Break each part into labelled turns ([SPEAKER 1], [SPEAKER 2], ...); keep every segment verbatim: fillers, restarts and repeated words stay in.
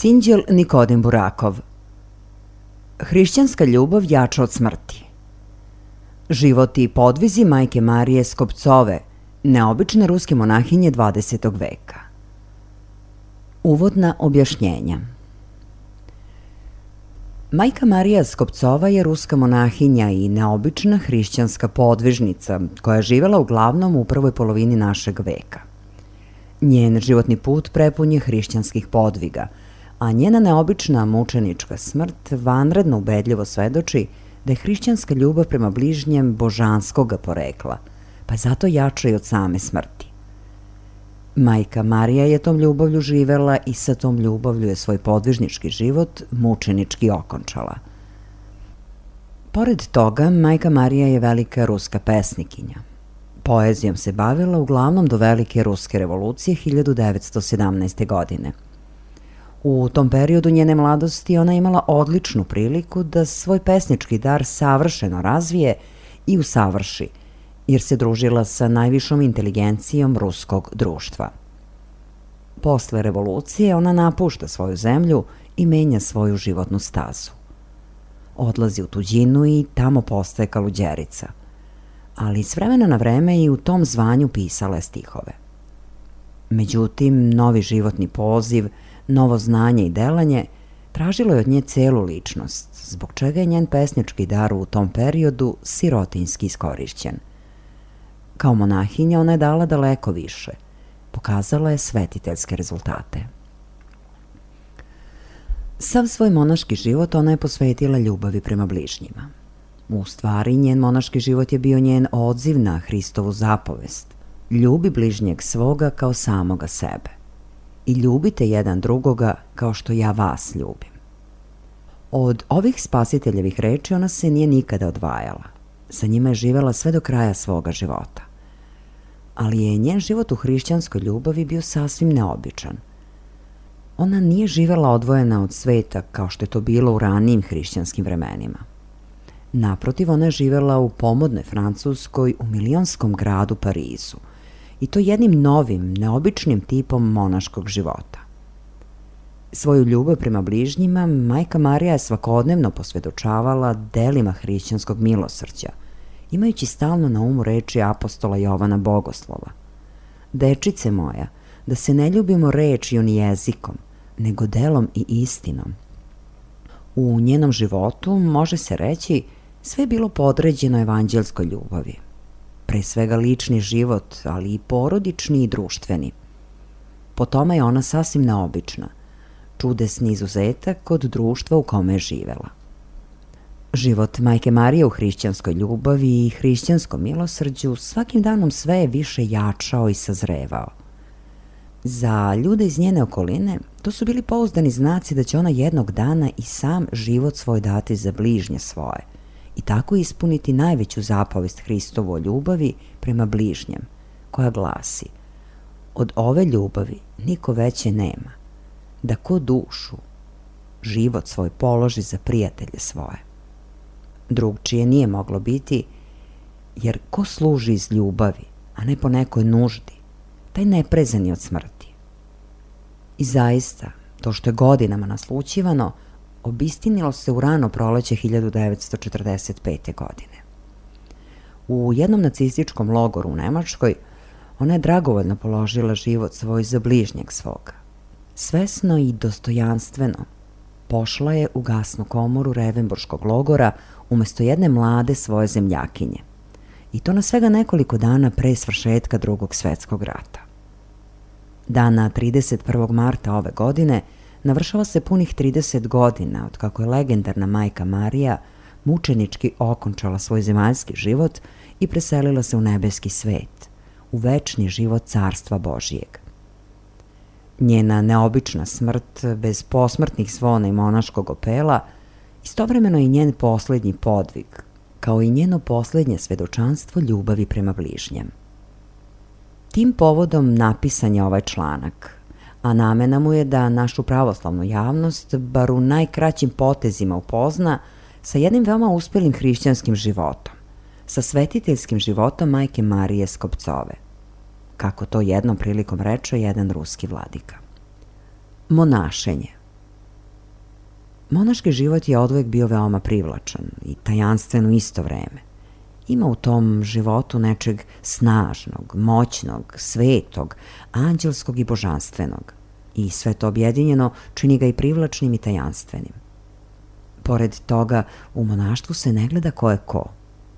[SPEAKER 1] Sinđel Nikodim Burakov. Hrišćanska ljubav jača od smrti. Život i podvizi majke Marije Skopcove, neobične ruske monahinje dvadesetog veka. Uvodna objašnjenja. Majka Marija Skopcova je ruska monahinja i neobična hrišćanska podvižnica koja je živela uglavnom u prvoj polovini našeg veka. Njen životni put prepun je hrišćanskih podviga, a njena neobična mučenička smrt vanredno ubedljivo svedoči da je hrišćanska ljubav prema bližnjem božanskoga porekla, pa je zato jača i od same smrti. Majka Marija je tom ljubavlju živela i sa tom ljubavlju je svoj podvižnički život mučenički okončala. Pored toga, majka Marija je velika ruska pesnikinja. Poezijom se bavila uglavnom do velike ruske revolucije hiljadu devetsto sedamnaeste. godine. U tom periodu njene mladosti ona imala odličnu priliku da svoj pesnički dar savršeno razvije i usavrši, jer se družila sa najvišom inteligencijom ruskog društva. Posle revolucije ona napušta svoju zemlju i menja svoju životnu stazu. Odlazi u tuđinu i tamo postaje kaluđerica, ali s vremena na vreme i u tom zvanju pisala je stihove. Međutim, novi životni poziv, novo znanje i delanje tražilo je od nje celu ličnost, zbog čega je njen pesnički dar u tom periodu sirotinjski iskorišćen. Kao monahinja ona je dala daleko više, pokazala je svetiteljske rezultate. Sav svoj monaški život ona je posvetila ljubavi prema bližnjima. U stvari, njen monaški život je bio njen odziv na Hristovu zapovest: ljubi bližnjeg svoga kao samoga sebe i ljubite jedan drugoga kao što ja vas ljubim. Od ovih spasiteljevih reči ona se nije nikada odvajala. Sa njima je živela sve do kraja svoga života. Ali je njen život u hrišćanskoj ljubavi bio sasvim neobičan. Ona nije živela odvojena od sveta kao što je to bilo u ranijim hrišćanskim vremenima. Naprotiv, ona je živela u pomodnoj Francuskoj u milionskom gradu Parizu, i to jednim novim, neobičnim tipom monaškog života. Svoju ljubav prema bližnjima majka Marija je svakodnevno posvedočavala delima hrišćanskog milosrđa, imajući stalno na umu reči apostola Jovana Bogoslova: dečice moja, da se ne ljubimo rečju ni jezikom, nego delom i istinom. U njenom životu, može se reći, sve je bilo podređeno evanđelskoj ljubavi. Pre svega lični život, ali i porodični i društveni. Po tome je ona sasvim neobična, čudesni izuzetak kod društva u kome je živela. Život majke Marije u hrišćanskoj ljubavi i hrišćanskom milosrđu svakim danom sve je više jačao i sazrevao. Za ljude iz njene okoline to su bili pouzdani znaci da će ona jednog dana i sam život svoj dati za bližnje svoje i tako ispuniti najveću zapovest Hristovu o ljubavi prema bližnjem, koja glasi: od ove ljubavi niko veće nema, da ko dušu, život svoj položi za prijatelje svoje. Drugčije nije moglo biti, jer ko služi iz ljubavi, a ne po nekoj nuždi, taj ne prezani od smrti. I zaista, to što je godinama naslućivano, obistinilo se u rano proleće hiljadu devetsto četrdeset pete. godine. U jednom nacističkom logoru u Nemačkoj ona je dragovoljno položila život svoj za bližnjeg svoga. Svesno i dostojanstveno pošla je u gasnu komoru Revenburškog logora umesto jedne mlade svoje zemljakinje, i to na svega nekoliko dana pre svršetka Drugog svetskog rata. Dana trideset prvog marta ove godine navršava se punih trideset godina od kako je legendarna majka Marija mučenički okončala svoj zemaljski život i preselila se u nebeski svet, u večni život Carstva Božijeg. Njena neobična smrt, bez posmrtnih zvona i monaškog opela, istovremeno je i njen poslednji podvig, kao i njeno poslednje svedočanstvo ljubavi prema bližnjem. Tim povodom napisan je ovaj članak, a namena mu je da našu pravoslavnu javnost bar u najkraćim potezima upozna sa jednim veoma uspelim hrišćanskim životom, sa svetiteljskim životom majke Marije Skopcove, kako to jednom prilikom reče jedan ruski vladika. Monašenje. Monaški život je odvijek bio veoma privlačan i tajanstven u isto vreme. Ima u tom životu nečeg snažnog, moćnog, svetog, anđelskog i božanstvenog. I sve to objedinjeno čini ga i privlačnim i tajanstvenim. Pored toga, u monaštvu se ne gleda ko je ko.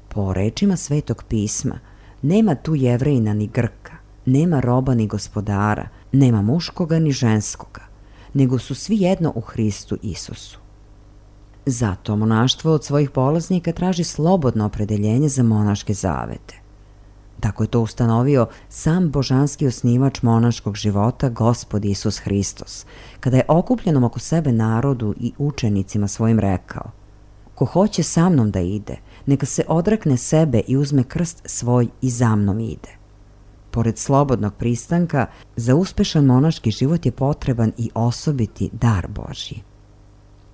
[SPEAKER 1] Po rečima Svetog pisma, nema tu Jevrejina ni Grka, nema roba ni gospodara, nema muškoga ni ženskoga, nego su svi jedno u Hristu Isusu. Zato monaštvo od svojih polaznika traži slobodno opredeljenje za monaške zavete. Tako je to ustanovio sam božanski osnivač monaškog života, Gospod Isus Hristos, kada je okupljenom oko sebe narodu i učenicima svojim rekao: ko hoće sa mnom da ide, neka se odrekne sebe i uzme krst svoj i za mnom ide. Pored slobodnog pristanka, za uspešan monaški život je potreban i osobiti dar Božji.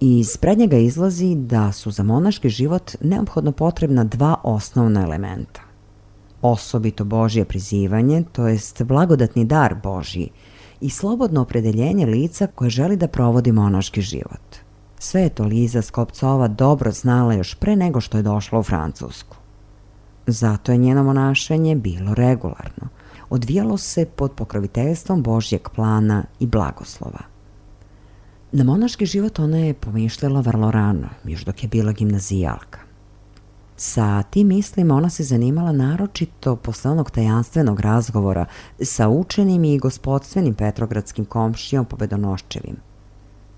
[SPEAKER 1] Iz prednjega izlazi da su za monaški život neophodno potrebna dva osnovna elementa. Osobito Božje prizivanje, to jest blagodatni dar Božji, i slobodno opredeljenje lica koje želi da provodi monaški život. Sve je to Liza Skopcova dobro znala još pre nego što je došla u Francusku. Zato je njeno monašenje bilo regularno. Odvijalo se pod pokroviteljstvom Božjeg plana i blagoslova. Na monaški život ona je pomišljala vrlo rano, još dok je bila gimnazijalka. Sa tim mislima ona se zanimala naročito posle onog tajanstvenog razgovora sa učenim i gospodstvenim petrogradskim komšijom Pobedonoščevim.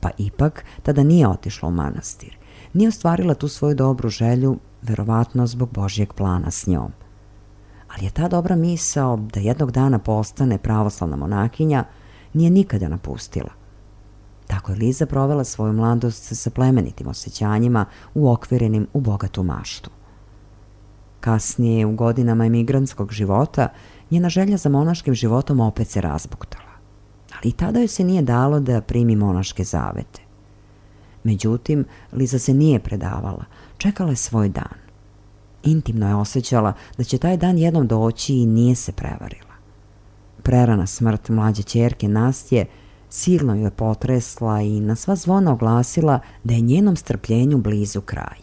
[SPEAKER 1] Pa ipak tada nije otišla u manastir, nije ostvarila tu svoju dobru želju, verovatno zbog Božjeg plana s njom. Ali je ta dobra misao da jednog dana postane pravoslavna monahinja nije nikada napustila. Tako je Liza provela svoju mladost sa plemenitim osjećanjima uokvirenim u bogatu maštu. Kasnije, u godinama emigrantskog života, njena želja za monaškim životom opet se razbuktala. Ali i tada joj se nije dalo da primi monaške zavete. Međutim, Liza se nije predavala, čekala je svoj dan. Intimno je osjećala da će taj dan jednom doći i nije se prevarila. Prerana smrt mlađe ćerke Nastje silno joj je potresla i na sva zvona oglasila da je njenom strpljenju blizu kraj.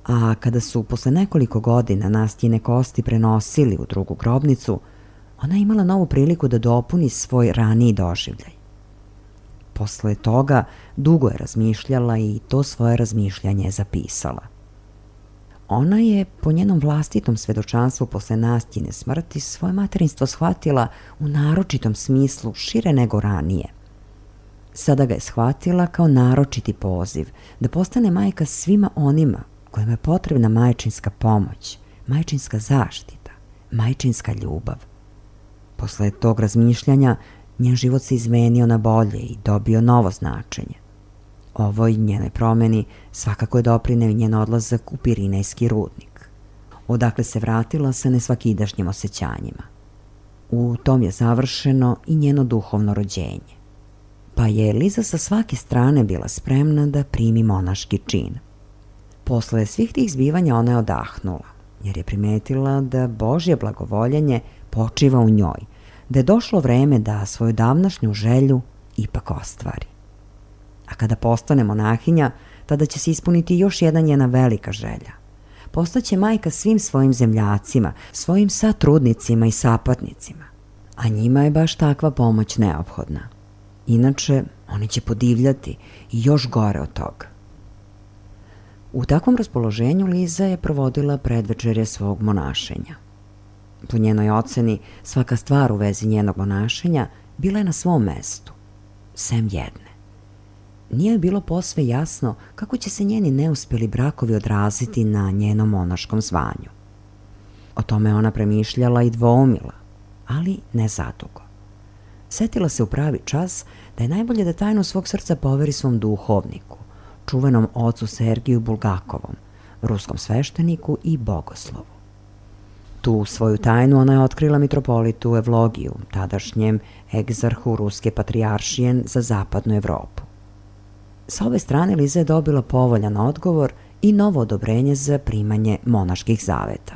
[SPEAKER 1] A kada su posle nekoliko godina Nastjine kosti prenosili u drugu grobnicu, ona je imala novu priliku da dopuni svoj raniji doživljaj. Posle toga dugo je razmišljala i to svoje razmišljanje je zapisala. Ona je, po njenom vlastitom svedočanstvu posle Nastjine smrti, svoje materinstvo shvatila u naročitom smislu šire nego ranije. Sada ga je shvatila kao naročiti poziv da postane majka svima onima kojima je potrebna majčinska pomoć, majčinska zaštita, majčinska ljubav. Posle tog razmišljanja njen život se izmenio na bolje i dobio novo značenje. Ovoj njenoj promeni svakako je doprineo njen odlazak u Pirinejski rudnik, odakle se vratila sa nesvakidašnjim osjećanjima. U tom je završeno i njeno duhovno rođenje, pa je Liza sa svake strane bila spremna da primi monaški čin. Posle svih tih zbivanja ona je odahnula, jer je primetila da Božje blagovoljenje počiva u njoj, da je došlo vreme da svoju davnašnju želju ipak ostvari. A kada postane monahinja, tada će se ispuniti još jedna njena velika želja. Postaće majka svim svojim zemljacima, svojim satrudnicima i sapatnicima. A njima je baš takva pomoć neophodna. Inače, oni će podivljati i još gore od toga. U takvom raspoloženju Liza je provodila predvečerje svog monašenja. Po njenoj oceni, svaka stvar u vezi njenog monašenja bila je na svom mestu, sem jedne. Nije joj bilo posve jasno kako će se njeni neuspjeli brakovi odraziti na njenom monaškom zvanju. O tome ona premišljala i dvoumila, ali ne zadugo. Setila se u pravi čas da je najbolje da tajnu svog srca poveri svom duhovniku, čuvenom ocu Sergiju Bulgakovom, ruskom svešteniku i bogoslovu. Tu svoju tajnu ona je otkrila mitropolitu Evlogiju, tadašnjem egzarhu Ruske patrijaršije za zapadnu Evropu. Sa ove strane Liza je dobila povoljan odgovor i novo odobrenje za primanje monaških zaveta.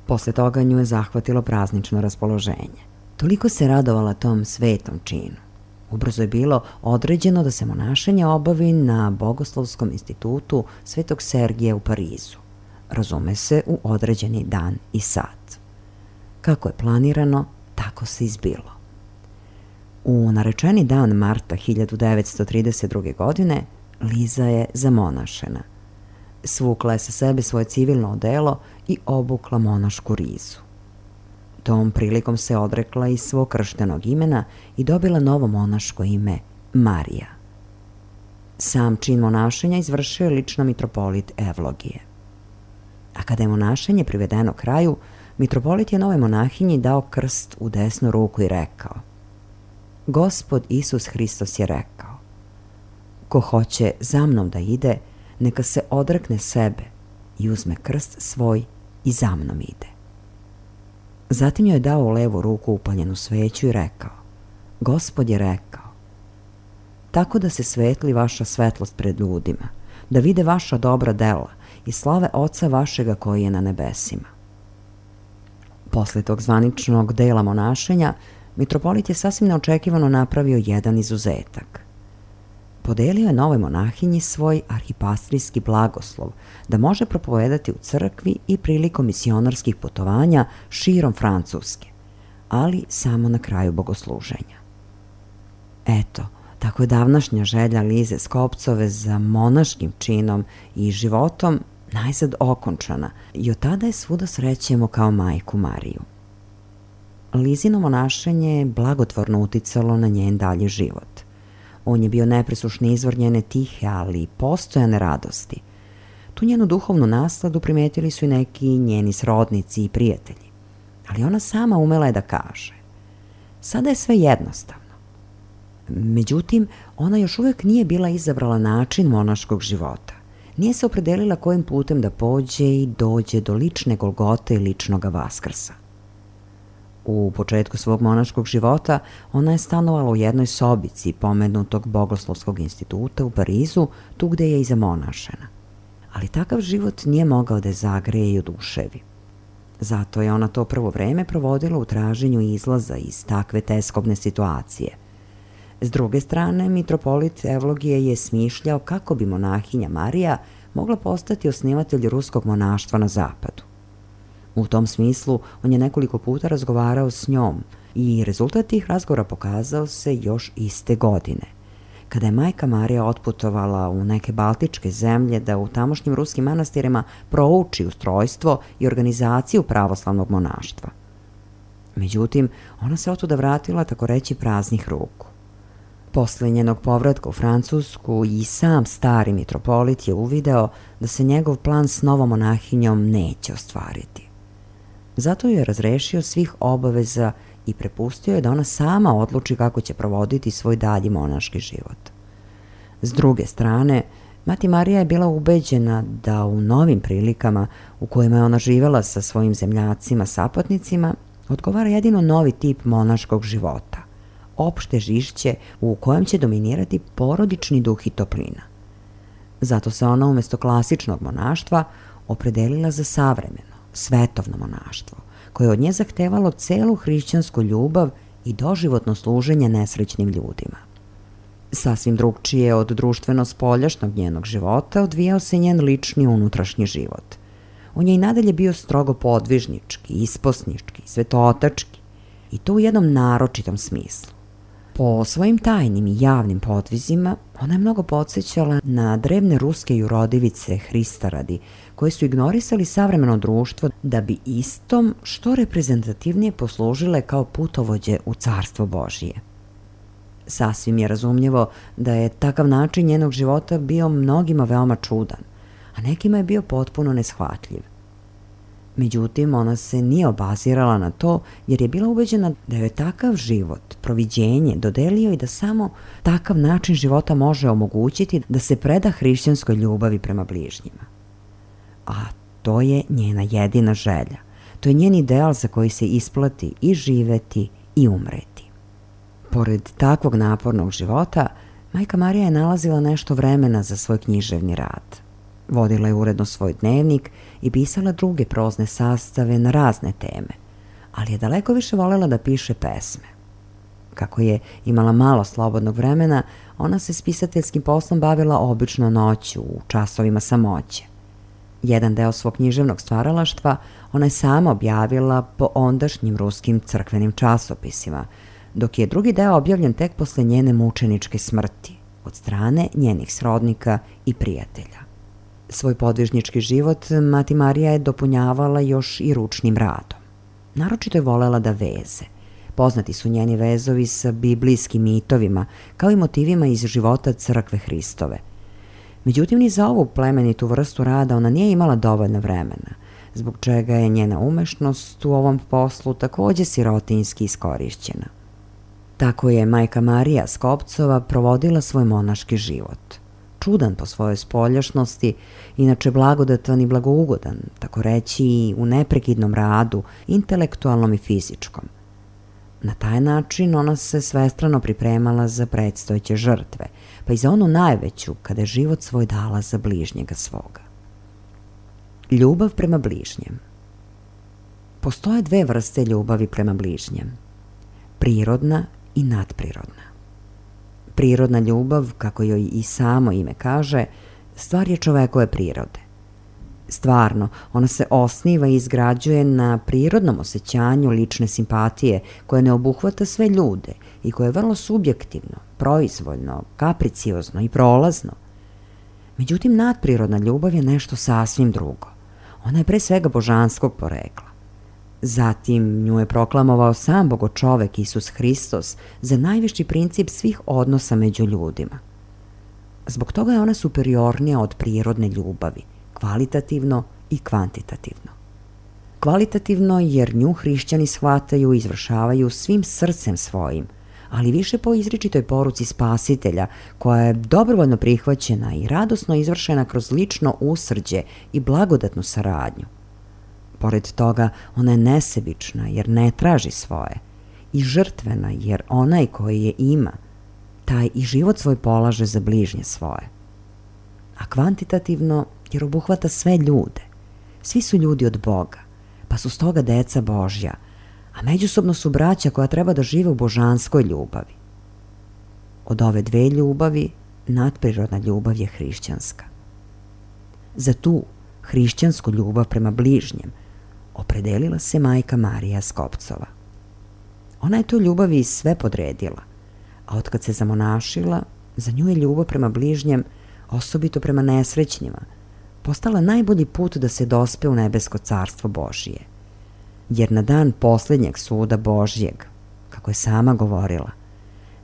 [SPEAKER 1] Posle toga nju je zahvatilo praznično raspoloženje. Toliko se radovala tom svetom činu. Ubrzo je bilo određeno da se monašenje obavi na Bogoslovskom institutu Svetog Sergija u Parizu. Razume se, u određeni dan i sat. Kako je planirano, tako se izbilo. U narečeni dan marta hiljadu devetsto trideset druge. godine Liza je zamonašena. Svukla je sa sebe svoje civilno odelo i obukla monašku rizu. Tom prilikom se odrekla i svog krštenog imena i dobila novo monaško ime Marija. Sam čin monašenja izvršio je lično mitropolit Evlogije. A kada je monašenje privedeno kraju, mitropolit je novoj monahinji dao krst u desnu ruku i rekao: Gospod Isus Hristos je rekao: ko hoće za mnom da ide, neka se odrekne sebe i uzme krst svoj i za mnom ide. Zatim joj je dao u levu ruku upaljenu sveću i rekao: Gospod je rekao: tako da se svetli vaša svetlost pred ljudima, da vide vaša dobra dela i slave Oca vašega koji je na nebesima. Posle tog zvaničnog dela monašenja, mitropolit je sasvim neočekivano napravio jedan izuzetak. Podelio je novoj monahinji svoj arhipastrijski blagoslov da može propovedati u crkvi i prilikom misionarskih putovanja širom Francuske, ali samo na kraju bogosluženja. Eto, tako je davnašnja želja Lize Skopcove za monaškim činom i životom najzad okončana i od tada je svuda srećemo kao majku Mariju. Lizino monašenje je blagotvorno uticalo na njen dalji život. On je bio nepresušni izvor njene tihe, ali postojane radosti. Tu njenu duhovnu nasladu primetili su i neki njeni srodnici i prijatelji. Ali ona sama umela je da kaže: sada je sve jednostavno. Međutim, ona još uvijek nije bila izabrala način monaškog života. Nije se opredelila kojim putem da pođe i dođe do lične Golgote i ličnoga Vaskrsa. U početku svog monaškog života ona je stanovala u jednoj sobici pomenutog Bogoslovskog instituta u Parizu, tu gde je i zamonašena. Ali takav život nije mogao da je zagreje i oduševi. Zato je ona to prvo vreme provodila u traženju izlaza iz takve teskobne situacije. S druge strane, mitropolit Evlogije je smišljao kako bi monahinja Marija mogla postati osnivatelj ruskog monaštva na zapadu. U tom smislu, on je nekoliko puta razgovarao s njom i rezultat tih razgovora pokazao se još iste godine, kada je majka Marija otputovala u neke baltičke zemlje da u tamošnjim ruskim manastirima prouči ustrojstvo i organizaciju pravoslavnog monaštva. Međutim, ona se otuda vratila tako reći praznih ruku. Posle njenog povratka u Francusku i sam stari mitropolit je uvideo da se njegov plan s novom monahinjom neće ostvariti. Zato ju je razrešio svih obaveza i prepustio je da ona sama odluči kako će provoditi svoj dalji monaški život. S druge strane, mati Marija je bila ubeđena da u novim prilikama u kojima je ona živela sa svojim zemljacima, sapatnicima, odgovara jedino novi tip monaškog života, opšte žišće u kojem će dominirati porodični duh i toplina. Zato se ona umjesto klasičnog monaštva opredelila za savremeno, svetovno monaštvo, koje je od nje zahtevalo celu hrišćansku ljubav i doživotno služenje nesrećnim ljudima. Sasvim drugčije od društveno-spoljašnog njenog života odvijao se njen lični unutrašnji život. On je i nadalje bio strogo podvižnički, isposnički, svetootački, i to u jednom naročitom smislu. Po svojim tajnim i javnim podvizima ona je mnogo podsjećala na drevne ruske jurodivice Hristaradi, koje su ignorisali savremeno društvo da bi istom što reprezentativnije poslužile kao putovođe u Carstvo Božije. Sasvim je razumljivo da je takav način njenog života bio mnogima veoma čudan, a nekima je bio potpuno neshvatljiv. Međutim, ona se nije obazirala na to jer je bila ubeđena da je takav život, proviđenje, dodelio i da samo takav način života može omogućiti da se preda hrišćanskoj ljubavi prema bližnjima. A to je njena jedina želja. To je njen ideal za koji se isplati i živeti i umreti. Pored takvog napornog života, majka Marija je nalazila nešto vremena za svoj književni rad. Vodila je uredno svoj dnevnik i pisala druge prozne sastave na razne teme, ali je daleko više volela da piše pesme. Kako je imala malo slobodnog vremena, ona se s pisateljskim poslom bavila obično noću, u časovima samoće. Jedan deo svog književnog stvaralaštva ona je sama objavila po ondašnjim ruskim crkvenim časopisima, dok je drugi deo objavljen tek posle njene mučeničke smrti od strane njenih srodnika i prijatelja. Svoj podvižnički život mati Marija je dopunjavala još i ručnim radom. Naročito je volela da veze. Poznati su njeni vezovi sa biblijskim mitovima, kao i motivima iz života crkve Hristove. Međutim, ni za ovu plemenitu vrstu rada ona nije imala dovoljno vremena, zbog čega je njena umešnost u ovom poslu takođe sirotinjski iskorišćena. Tako je majka Marija Skopcova provodila svoj monaški život. Čudan po svojoj spoljašnosti, inače blagodatan i blagougodan, tako reći i u neprekidnom radu, intelektualnom i fizičkom. Na taj način ona se svestrano pripremala za predstojeće žrtve, pa i za onu najveću kada je život svoj dala za bližnjega svoga. Ljubav prema bližnjem. Postoje dve vrste ljubavi prema bližnjem. Prirodna i nadprirodna. Prirodna ljubav, kako joj i samo ime kaže, stvar je čovekove prirode. Stvarno, ona se osniva i izgrađuje na prirodnom osjećanju lične simpatije koje ne obuhvata sve ljude i koje je vrlo subjektivno, proizvoljno, kapriciozno i prolazno. Međutim, nadprirodna ljubav je nešto sasvim drugo. Ona je pre svega božanskog porekla. Zatim nju je proklamovao sam Bogočovek Isus Hristos za najviši princip svih odnosa među ljudima. Zbog toga je ona superiornija od prirodne ljubavi, kvalitativno i kvantitativno. Kvalitativno jer nju hrišćani shvataju i izvršavaju svim srcem svojim, ali više po izričitoj poruci Spasitelja, koja je dobrovoljno prihvaćena i radosno izvršena kroz lično usrđe i blagodatnu saradnju. Pored toga, ona je nesebična jer ne traži svoje i žrtvena jer onaj koji je ima, taj i život svoj polaže za bližnje svoje. A kvantitativno jer obuhvata sve ljude. Svi su ljudi od Boga, pa su stoga deca Božja, a međusobno su braća koja treba da žive u božanskoj ljubavi. Od ove dve ljubavi, nadprirodna ljubav je hrišćanska. Za tu hrišćansku ljubav prema bližnjem opredelila se majka Marija Skopcova. Ona je tu ljubavi sve podredila, a otkad se zamonašila, za nju je ljubav prema bližnjem, osobito prema nesrećnjima, postala najbolji put da se dospe u nebesko carstvo Božije. Jer na dan posljednjeg suda Božjeg, kako je sama govorila,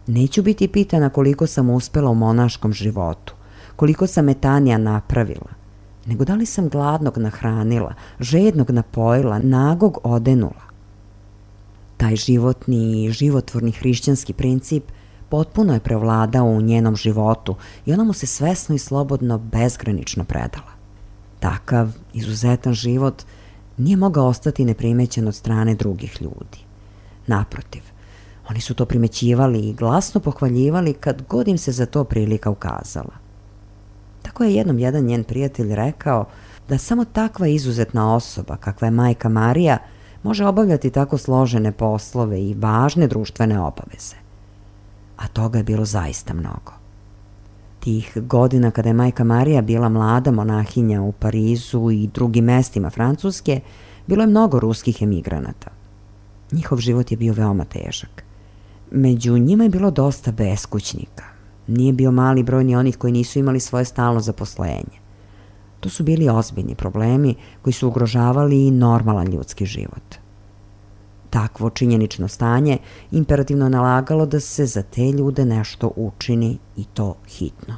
[SPEAKER 1] neću biti pitana koliko sam uspela u monaškom životu, koliko sam metanija napravila, nego da li sam gladnog nahranila, žednog napojila, nagog odenula. Taj životni i životvorni hrišćanski princip potpuno je prevladao u njenom životu i ona mu se svesno i slobodno bezgranično predala. Takav izuzetan život nije mogao ostati neprimećen od strane drugih ljudi. Naprotiv, oni su to primećivali i glasno pohvaljivali kad god im se za to prilika ukazala. Tako je jednom jedan njen prijatelj rekao da samo takva izuzetna osoba kakva je majka Marija može obavljati tako složene poslove i važne društvene obaveze. A toga je bilo zaista mnogo. Tih godina kada je majka Marija bila mlada monahinja u Parizu i drugim mestima Francuske, bilo je mnogo ruskih emigranata. Njihov život je bio veoma težak. Među njima je bilo dosta beskućnika. Nije bio mali broj ni onih koji nisu imali svoje stalno zaposlenje. To su bili ozbiljni problemi koji su ugrožavali i normalan ljudski život. Takvo činjenično stanje imperativno nalagalo da se za te ljude nešto učini i to hitno.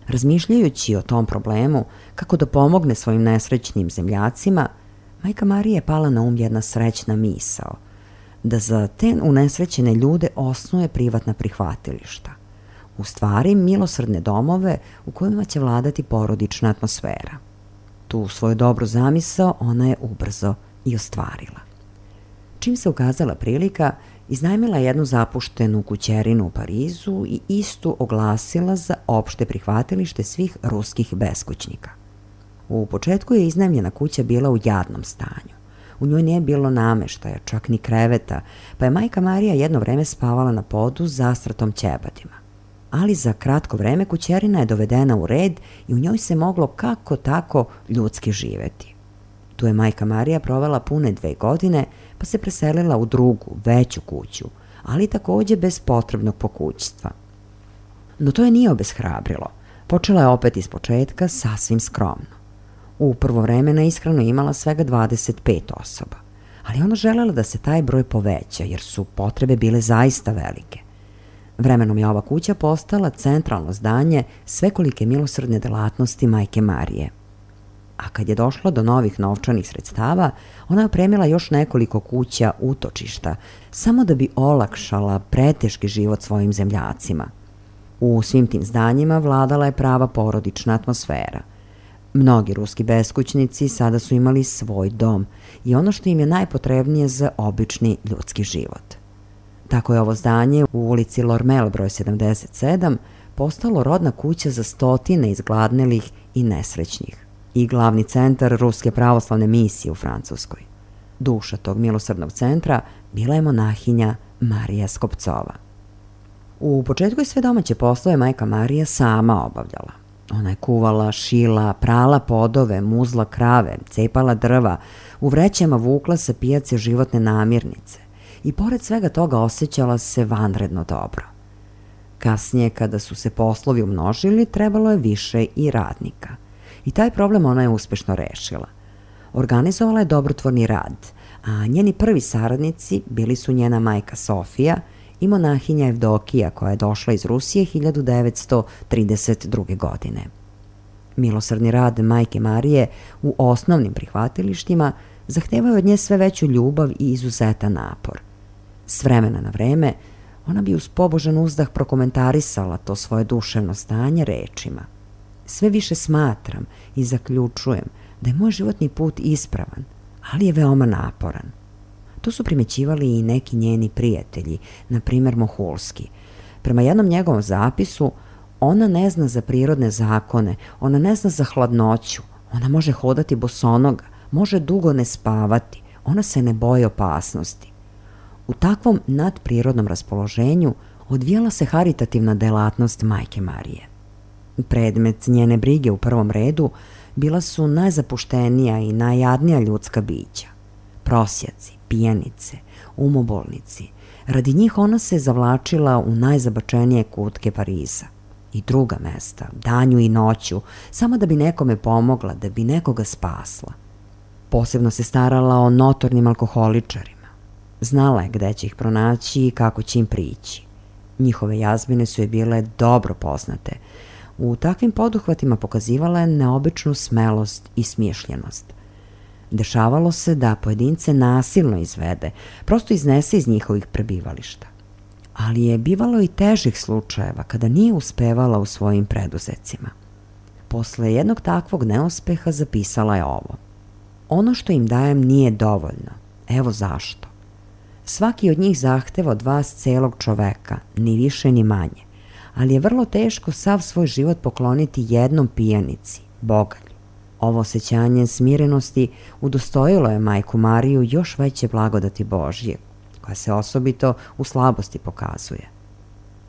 [SPEAKER 1] Razmišljajući o tom problemu, kako da pomogne svojim nesrećnim zemljacima, majka Marija je pala na um jedna srećna misao, da za te unesrećene ljude osnuje privatna prihvatilišta, u stvari milosrdne domove u kojima će vladati porodična atmosfera. Tu svoju dobru zamisao ona je ubrzo i ostvarila. Čim se ukazala prilika, iznajmila jednu zapuštenu kućerinu u Parizu i istu oglasila za opšte prihvatilište svih ruskih beskućnika. U početku je iznajmljena kuća bila u jadnom stanju. U njoj nije bilo nameštaja, čak ni kreveta, pa je majka Marija jedno vreme spavala na podu s zastratom ćebadima. Ali za kratko vreme kućerina je dovedena u red i u njoj se moglo kako tako ljudski živeti. Tu je majka Marija provela pune dve godine, pa se preselila u drugu, veću kuću, ali takođe bez potrebnog pokućstva. No to je nije obeshrabrilo. Počela je opet iz početka sasvim skromno. U prvo vreme na ishranu imala svega dvadeset pet osoba, ali ona želela da se taj broj poveća jer su potrebe bile zaista velike. Vremenom je ova kuća postala centralno zdanje svekolike milosrdne delatnosti majke Marije. A kad je došlo do novih novčanih sredstava, ona je opremila još nekoliko kuća utočišta, samo da bi olakšala preteški život svojim zemljacima. U svim tim zdanjima vladala je prava porodična atmosfera. Mnogi ruski beskućnici sada su imali svoj dom i ono što im je najpotrebnije za obični ljudski život. Tako je ovo zdanje u ulici Lormel broj sedamdeset sedam postalo rodna kuća za stotine izgladnelih i nesrećnih i glavni centar Ruske pravoslavne misije u Francuskoj. Duša tog milosrdnog centra bila je monahinja Marija Skopcova. U početku je sve domaće poslove majka Marija sama obavljala. Ona je kuvala, šila, prala podove, muzla krave, cepala drva, u vrećama vukla sa pijace životne namirnice i pored svega toga osjećala se vanredno dobro. Kasnije, kada su se poslovi umnožili, trebalo je više i radnika. I taj problem ona je uspešno rešila. Organizovala je dobrotvorni rad, a njeni prvi saradnici bili su njena majka Sofija i monahinja Evdokija koja je došla iz Rusije hiljadu devetsto trideset druge. godine. Milosrdni rad majke Marije u osnovnim prihvatilištima zahtevao je od nje sve veću ljubav i izuzetan napor. S vremena na vreme ona bi uz pobožan uzdah prokomentarisala to svoje duševno stanje rečima: sve više smatram i zaključujem da je moj životni put ispravan, ali je veoma naporan. To su primećivali i neki njeni prijatelji, na primer Mohulski. Prema jednom njegovom zapisu, ona ne zna za prirodne zakone, ona ne zna za hladnoću, ona može hodati bosonoga, može dugo ne spavati, ona se ne boji opasnosti. U takvom nadprirodnom raspoloženju odvijala se haritativna delatnost majke Marije. Predmet njene brige u prvom redu bila su najzapuštenija i najjadnija ljudska bića. Prosjaci, pijanice, umobolnici. Radi njih ona se zavlačila u najzabačenije kutke Pariza i druga mesta, danju i noću, samo da bi nekome pomogla, da bi nekoga spasla. Posebno se starala o notornim alkoholičarima. Znala je gde će ih pronaći i kako će im prići. Njihove jazmine su je bile dobro poznate. U takvim poduhvatima pokazivala je neobičnu smelost i smišljenost. Dešavalo se da pojedince nasilno izvede, prosto iznese iz njihovih prebivališta. Ali je bivalo i težih slučajeva kada nije uspevala u svojim preduzecima. Posle jednog takvog neuspeha zapisala je ovo: ono što im dajem nije dovoljno, evo zašto. Svaki od njih zahteva od vas celog čoveka, ni više ni manje, ali je vrlo teško sav svoj život pokloniti jednom pijanici, bogalju. Ovo osjećanje smirenosti udostojilo je majku Mariju još veće blagodati Božje, koja se osobito u slabosti pokazuje.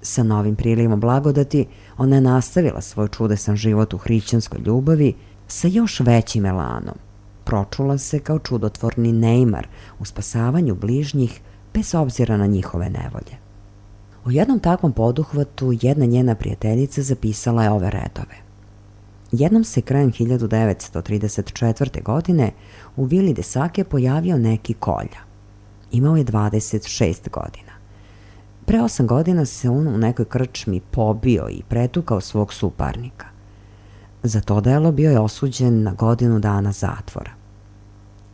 [SPEAKER 1] Sa novim prilivom blagodati ona je nastavila svoj čudesan život u hrišćanskoj ljubavi sa još većim elanom. Pročula se kao čudotvorni Neymar u spasavanju bližnjih bez obzira na njihove nevolje. U jednom takvom poduhvatu jedna njena prijateljica zapisala je ove redove: jednom se krajem hiljadu devetsto trideset četvrte. godine u vili de Sake pojavio neki kolja. Imao je dvadeset šest godina. Pre osam godina se on u nekoj krčmi pobio i pretukao svog suparnika. Za to delo bio je osuđen na godinu dana zatvora.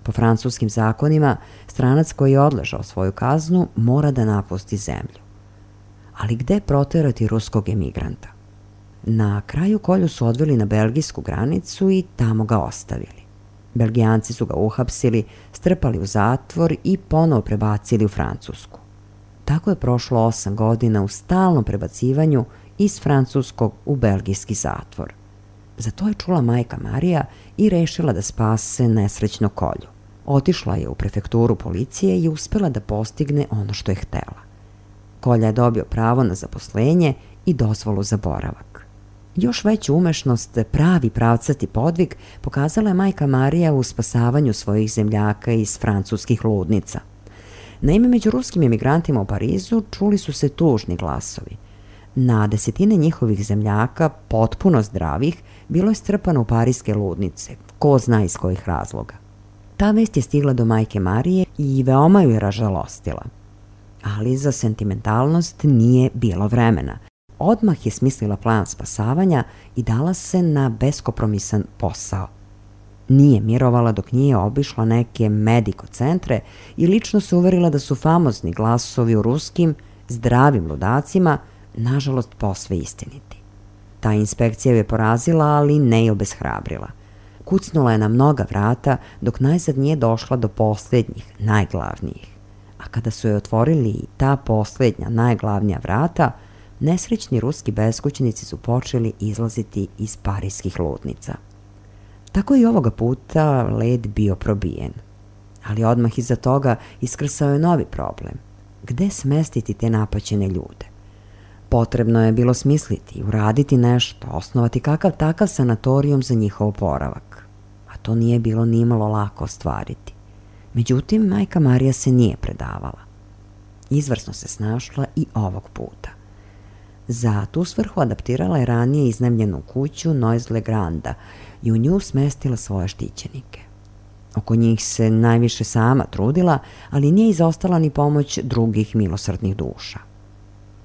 [SPEAKER 1] Po francuskim zakonima, stranac koji je odležao svoju kaznu mora da napusti zemlju. Ali gde proterati ruskog emigranta? Na kraju kolju su odveli na belgijsku granicu i tamo ga ostavili. Belgijanci su ga uhapsili, strpali u zatvor i ponovo prebacili u Francusku. Tako je prošlo osam godina u stalnom prebacivanju iz francuskog u belgijski zatvor. Za to je čula majka Marija i rešila da spase nesrećno kolju. Otišla je u prefekturu policije i uspela da postigne ono što je htela. Kolja je dobio pravo na zaposlenje i dozvolu za boravak. Još veću umešnost, pravi pravcati podvig pokazala je majka Marija u spasavanju svojih zemljaka iz francuskih ludnica. Naime, među ruskim emigrantima u Parizu čuli su se tužni glasovi. Na desetine njihovih zemljaka, potpuno zdravih, bilo je strpano u parijske ludnice, ko zna iz kojih razloga. Ta vest je stigla do majke Marije i veoma ju je ražalostila. Ali za sentimentalnost nije bilo vremena. Odmah je smislila plan spasavanja i dala se na beskompromisan posao. Nije mirovala dok nije obišla neke mediko centre i lično se uverila da su famozni glasovi u ruskim, zdravim ludacima, nažalost posve istiniti. Ta inspekcija ju je porazila, ali ne i obeshrabrila. Kucnula je na mnoga vrata dok najzad nije došla do posljednjih, najglavnijih. A kada su joj otvorili ta posljednja, najglavnija vrata, nesrećni ruski beskućnici su počeli izlaziti iz parijskih ludnica. Tako je i ovoga puta led bio probijen. Ali odmah iza toga iskrsao je novi problem. Gde smestiti te napaćene ljude? Potrebno je bilo smisliti, uraditi nešto, osnovati kakav takav sanatorijum za njihov oporavak. A to nije bilo nimalo lako ostvariti. Međutim, majka Marija se nije predavala. Izvrsno se snašla i ovog puta. Za tu svrhu adaptirala je ranije iznajmljenu kuću Noisy-le-Granda i u nju smestila svoje štićenike. Oko njih se najviše sama trudila, ali nije izostala ni pomoć drugih milosrdnih duša.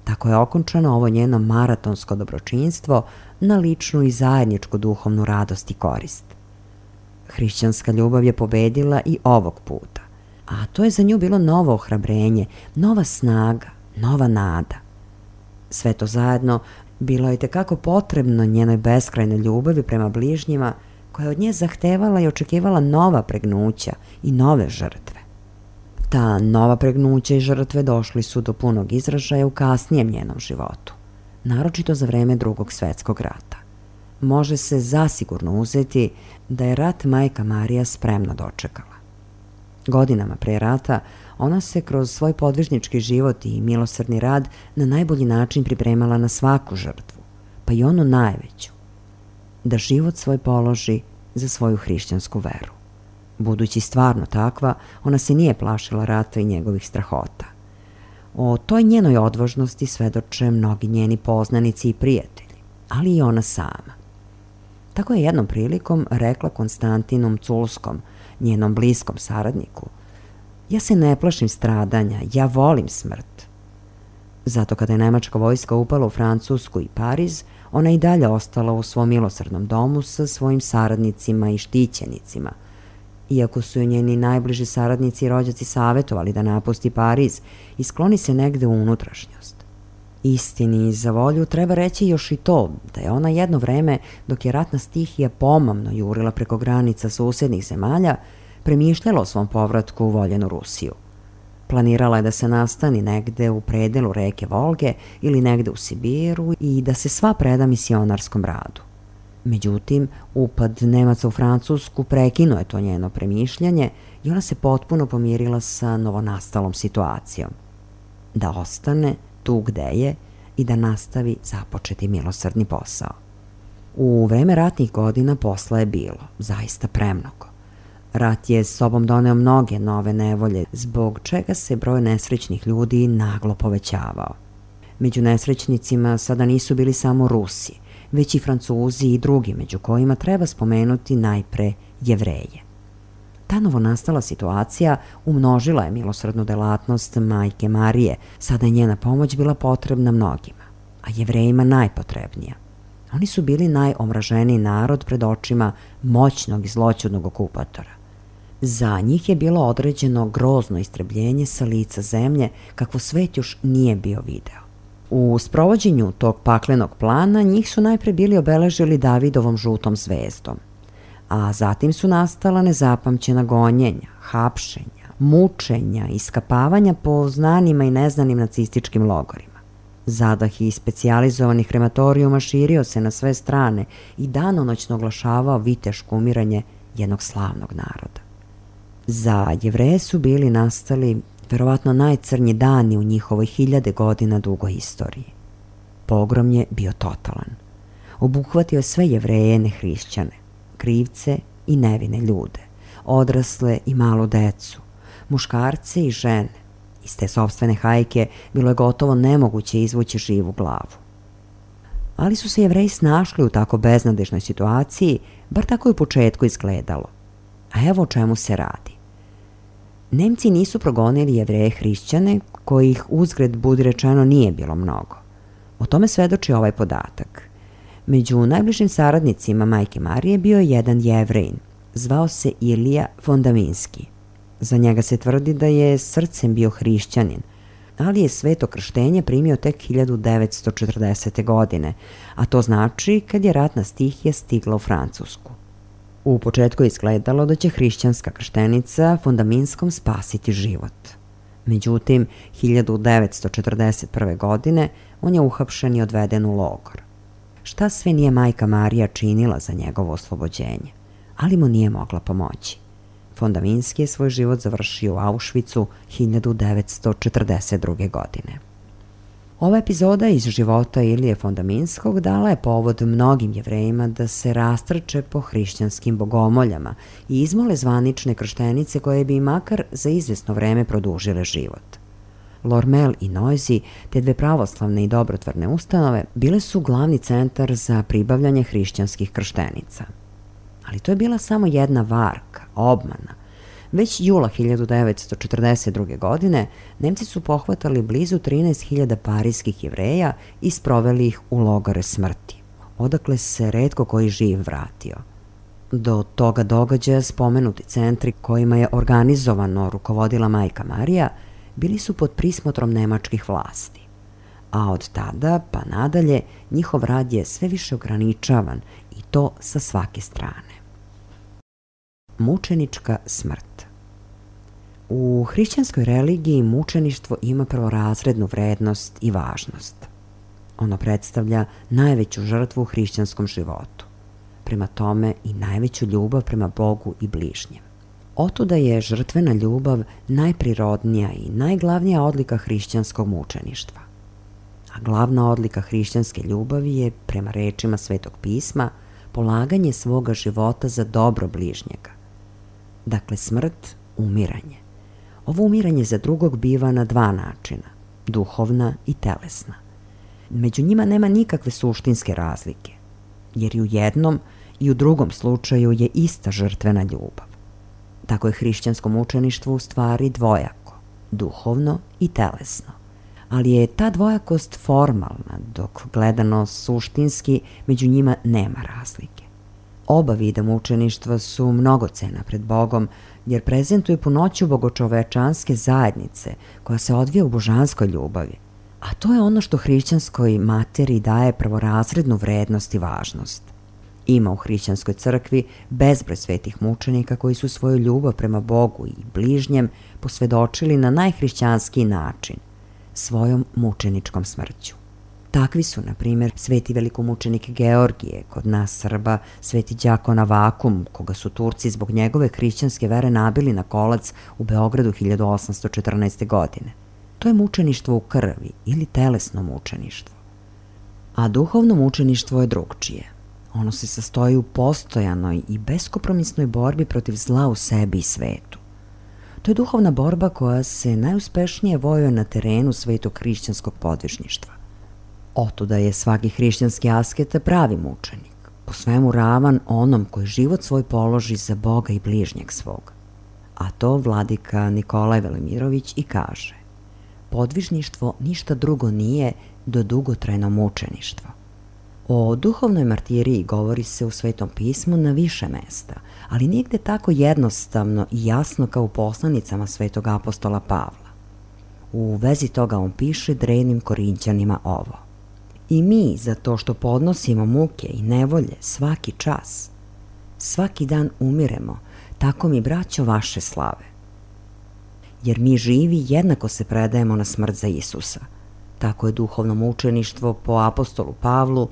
[SPEAKER 1] Tako je okončano ovo njeno maratonsko dobročinstvo na ličnu i zajedničku duhovnu radost i korist. Hrišćanska ljubav je pobedila i ovog puta, a to je za nju bilo novo ohrabrenje, nova snaga, nova nada. Sve to zajedno bilo je tekako potrebno njenoj beskrajnoj ljubavi prema bližnjima, koja je od nje zahtevala i očekivala nova pregnuća i nove žrtve. Ta nova pregnuća i žrtve došli su do punog izražaja u kasnijem njenom životu, naročito za vreme Drugog svetskog rata. Može se zasigurno uzeti da je rat majka Marija spremno dočekala. Godinama pre rata ona se kroz svoj podvižnički život i milosrdni rad na najbolji način pripremala na svaku žrtvu, pa i onu najveću, da život svoj položi za svoju hrišćansku veru. Budući stvarno takva, ona se nije plašila rata i njegovih strahota. O toj njenoj odvažnosti svedoče mnogi njeni poznanici i prijatelji, ali i ona sama. Tako je jednom prilikom rekla Konstantinom Culskom, njenom bliskom saradniku: "Ja se ne plašim stradanja, ja volim smrt." Zato kada je nemačka vojska upala u Francusku i Pariz, ona i dalje ostala u svom milosrdnom domu sa svojim saradnicima i štićenicima. Iako su joj njeni najbliži saradnici i rođaci savjetovali da napusti Pariz i skloni se negde u unutrašnjost. Istini za volju treba reći još i to da je ona jedno vreme, dok je ratna stihija pomamno jurila preko granica susjednih zemalja, premišljala o svom povratku u voljenu Rusiju. Planirala je da se nastani negde u predelu reke Volge ili negde u Sibiru i da se sva preda misionarskom radu. Međutim, upad Nemaca u Francusku prekinuo je to njeno premišljanje i ona se potpuno pomirila sa novonastalom situacijom. Da ostane tu gde je i da nastavi započeti milosrdni posao. U vreme ratnih godina posla je bilo, zaista premnogo. Rat je s sobom doneo mnoge nove nevolje, zbog čega se broj nesrećnih ljudi naglo povećavao. Među nesrećnicima sada nisu bili samo Rusi, već i Francuzi i drugi, među kojima treba spomenuti najpre Jevreje. Ta novonastala situacija umnožila je milosrdnu delatnost majke Marije, sada je njena pomoć bila potrebna mnogima, a Jevrejima najpotrebnija. Oni su bili najomraženiji narod pred očima moćnog i zloćudnog okupatora. Za njih je bilo određeno grozno istrebljenje sa lica zemlje kakvo svet još nije bio video. U sprovođenju tog paklenog plana njih su najpre bili obeležili Davidovom žutom zvezdom, a zatim su nastala nezapamćena gonjenja, hapšenja, mučenja i iskapavanja po znanima i neznanim nacističkim logorima. Zadah i specijalizovanih krematorijuma širio se na sve strane i danonoćno oglašavao viteško umiranje jednog slavnog naroda. Za Jevreje su bili nastali verovatno najcrnji dani u njihovoj hiljade godina dugoj istoriji. Pogrom je bio totalan. Obuhvatio je sve Jevreje nehrišćane, krivce i nevine ljude, odrasle i malu decu, muškarce i žene. Iz te sopstvene hajke bilo je gotovo nemoguće izvući živu glavu. Ali su se Jevreji snašli u tako beznadežnoj situaciji, bar tako je u početku izgledalo. A evo o čemu se radi. Nemci nisu progonili Jevreje hrišćane, kojih uzgred budi rečeno nije bilo mnogo. O tome svedoči ovaj podatak. Među najbližim saradnicima majke Marije bio je jedan Jevrejin, zvao se Ilija Fondaminski. Za njega se tvrdi da je srcem bio hrišćanin, ali je sveto krštenje primio tek hiljadu devetsto četrdesete. godine, a to znači kad je ratna stihija stigla u Francusku. U početku je izgledalo da će hrišćanska krštenica Fondaminskom spasiti život. Međutim, hiljadu devetsto četrdeset prve. godine on je uhapšen i odveden u logor. Šta sve nije majka Marija činila za njegovo oslobođenje, ali mu nije mogla pomoći. Fondaminski je svoj život završio u Auschwitzu hiljadu devetsto četrdeset druge. godine. Ova epizoda iz života Ilije Fondaminskog dala je povod mnogim Jevrejima da se rastrče po hrišćanskim bogomoljama i izmole zvanične krštenice koje bi im makar za izvesno vreme produžile život. Lormel i Noisy, te dve pravoslavne i dobrotvorne ustanove, bile su glavni centar za pribavljanje hrišćanskih krštenica. Ali to je bila samo jedna varka, obmana. Već jula hiljadu devetsto četrdeset druge. godine Nemci su pohvatali blizu trinaest hiljada parijskih Jevreja i sproveli ih u logore smrti, odakle se retko koji živ vratio. Do toga događaja spomenuti centri kojima je organizovano rukovodila majka Marija bili su pod prismotrom nemačkih vlasti. A od tada pa nadalje njihov rad je sve više ograničavan i to sa svake strane. Mučenička smrt. U hrišćanskoj religiji mučeništvo ima prvorazrednu vrednost i važnost. Ono predstavlja najveću žrtvu u hrišćanskom životu, prema tome i najveću ljubav prema Bogu i bližnjem. Otuda je žrtvena ljubav najprirodnija i najglavnija odlika hrišćanskog mučeništva. A glavna odlika hrišćanske ljubavi je, prema rečima Svetog pisma, polaganje svoga života za dobro bližnjega. Dakle, smrt, umiranje. Ovo umiranje za drugog biva na dva načina, duhovna i telesna. Među njima nema nikakve suštinske razlike, jer i u jednom i u drugom slučaju je ista žrtvena ljubav. Tako je hrišćansko mučeništvo u stvari dvojako, duhovno i telesno. Ali je ta dvojakost formalna, dok gledano suštinski među njima nema razlike. Oba vida mučeništva su mnogocena pred Bogom, jer prezentuju punoću bogočovečanske zajednice koja se odvija u božanskoj ljubavi. A to je ono što hrišćanskoj materiji daje prvorazrednu vrednost i važnost. Ima u hrišćanskoj crkvi bezbroj svetih mučenika koji su svoju ljubav prema Bogu i bližnjem posvedočili na najhrišćanskiji način, svojom mučeničkom smrću. Takvi su, na primjer, sveti velikomučenik Georgije, kod nas Srba sveti đakon Avakum, koga su Turci zbog njegove hrišćanske vere nabili na kolac u Beogradu hiljadu osamsto četrnaeste. godine. To je mučeništvo u krvi ili telesno mučeništvo. A duhovno mučeništvo je drugčije. Ono se sastoji u postojanoj i beskompromisnoj borbi protiv zla u sebi i svetu. To je duhovna borba koja se najuspešnije vojuje na terenu svetog hrišćanskog podvižništva. Otuda je svaki hrišćanski asketa pravi mučenik, po svemu ravan onom koji život svoj položi za Boga i bližnjeg svog. A to vladika Nikolaj Velimirović i kaže: podvižništvo ništa drugo nije do dugotrajno mučeništvo. O duhovnoj martiriji govori se u Svetom pismu na više mesta, ali nigde tako jednostavno i jasno kao u poslanicama svetog apostola Pavla. U vezi toga on piše drevnim Korinćanima ovo: i mi, za to što podnosimo muke i nevolje svaki čas, svaki dan umiremo, tako mi, braćo, vaše slave. Jer mi živi jednako se predajemo na smrt za Isusa. Tako je duhovno mučeništvo po apostolu Pavlu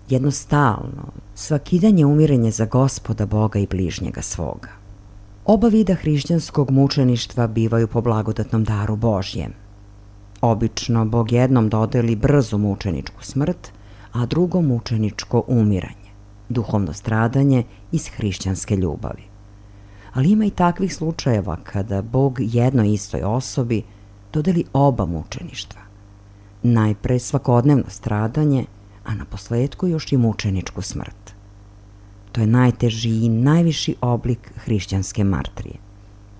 [SPEAKER 1] jedno stalno, svakidanje umirenje za Gospoda Boga i bližnjega svoga. Oba vida hrišćanskog mučeništva bivaju po blagodatnom daru Božjem. Obično Bog jednom dodeli brzu mučeničku smrt, a drugom mučeničko umiranje, duhovno stradanje iz hrišćanske ljubavi. Ali ima i takvih slučajeva kada Bog jednoj istoj osobi dodeli oba mučeništva. Najpre svakodnevno stradanje, a na posledku još i mučeničku smrt. To je najteži i najviši oblik hrišćanske martrije.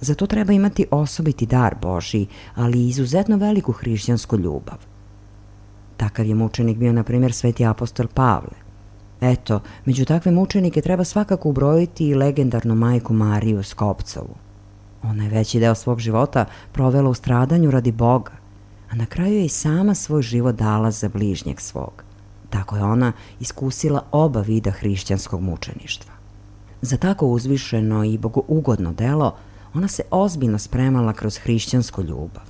[SPEAKER 1] Zato treba imati osobiti dar Božji, ali i izuzetno veliku hrišćansku ljubav. Takav je mučenik bio, na primjer, sveti apostol Pavle. Eto, među takve mučenike treba svakako ubrojiti i legendarnu majku Mariju Skopcovu. Ona je veći deo svog života provela u stradanju radi Boga, a na kraju je i sama svoj život dala za bližnjeg svog. Tako je ona iskusila oba vida hrišćanskog mučeništva. Za tako uzvišeno i bogougodno delo ona se ozbiljno spremala kroz hrišćansku ljubav.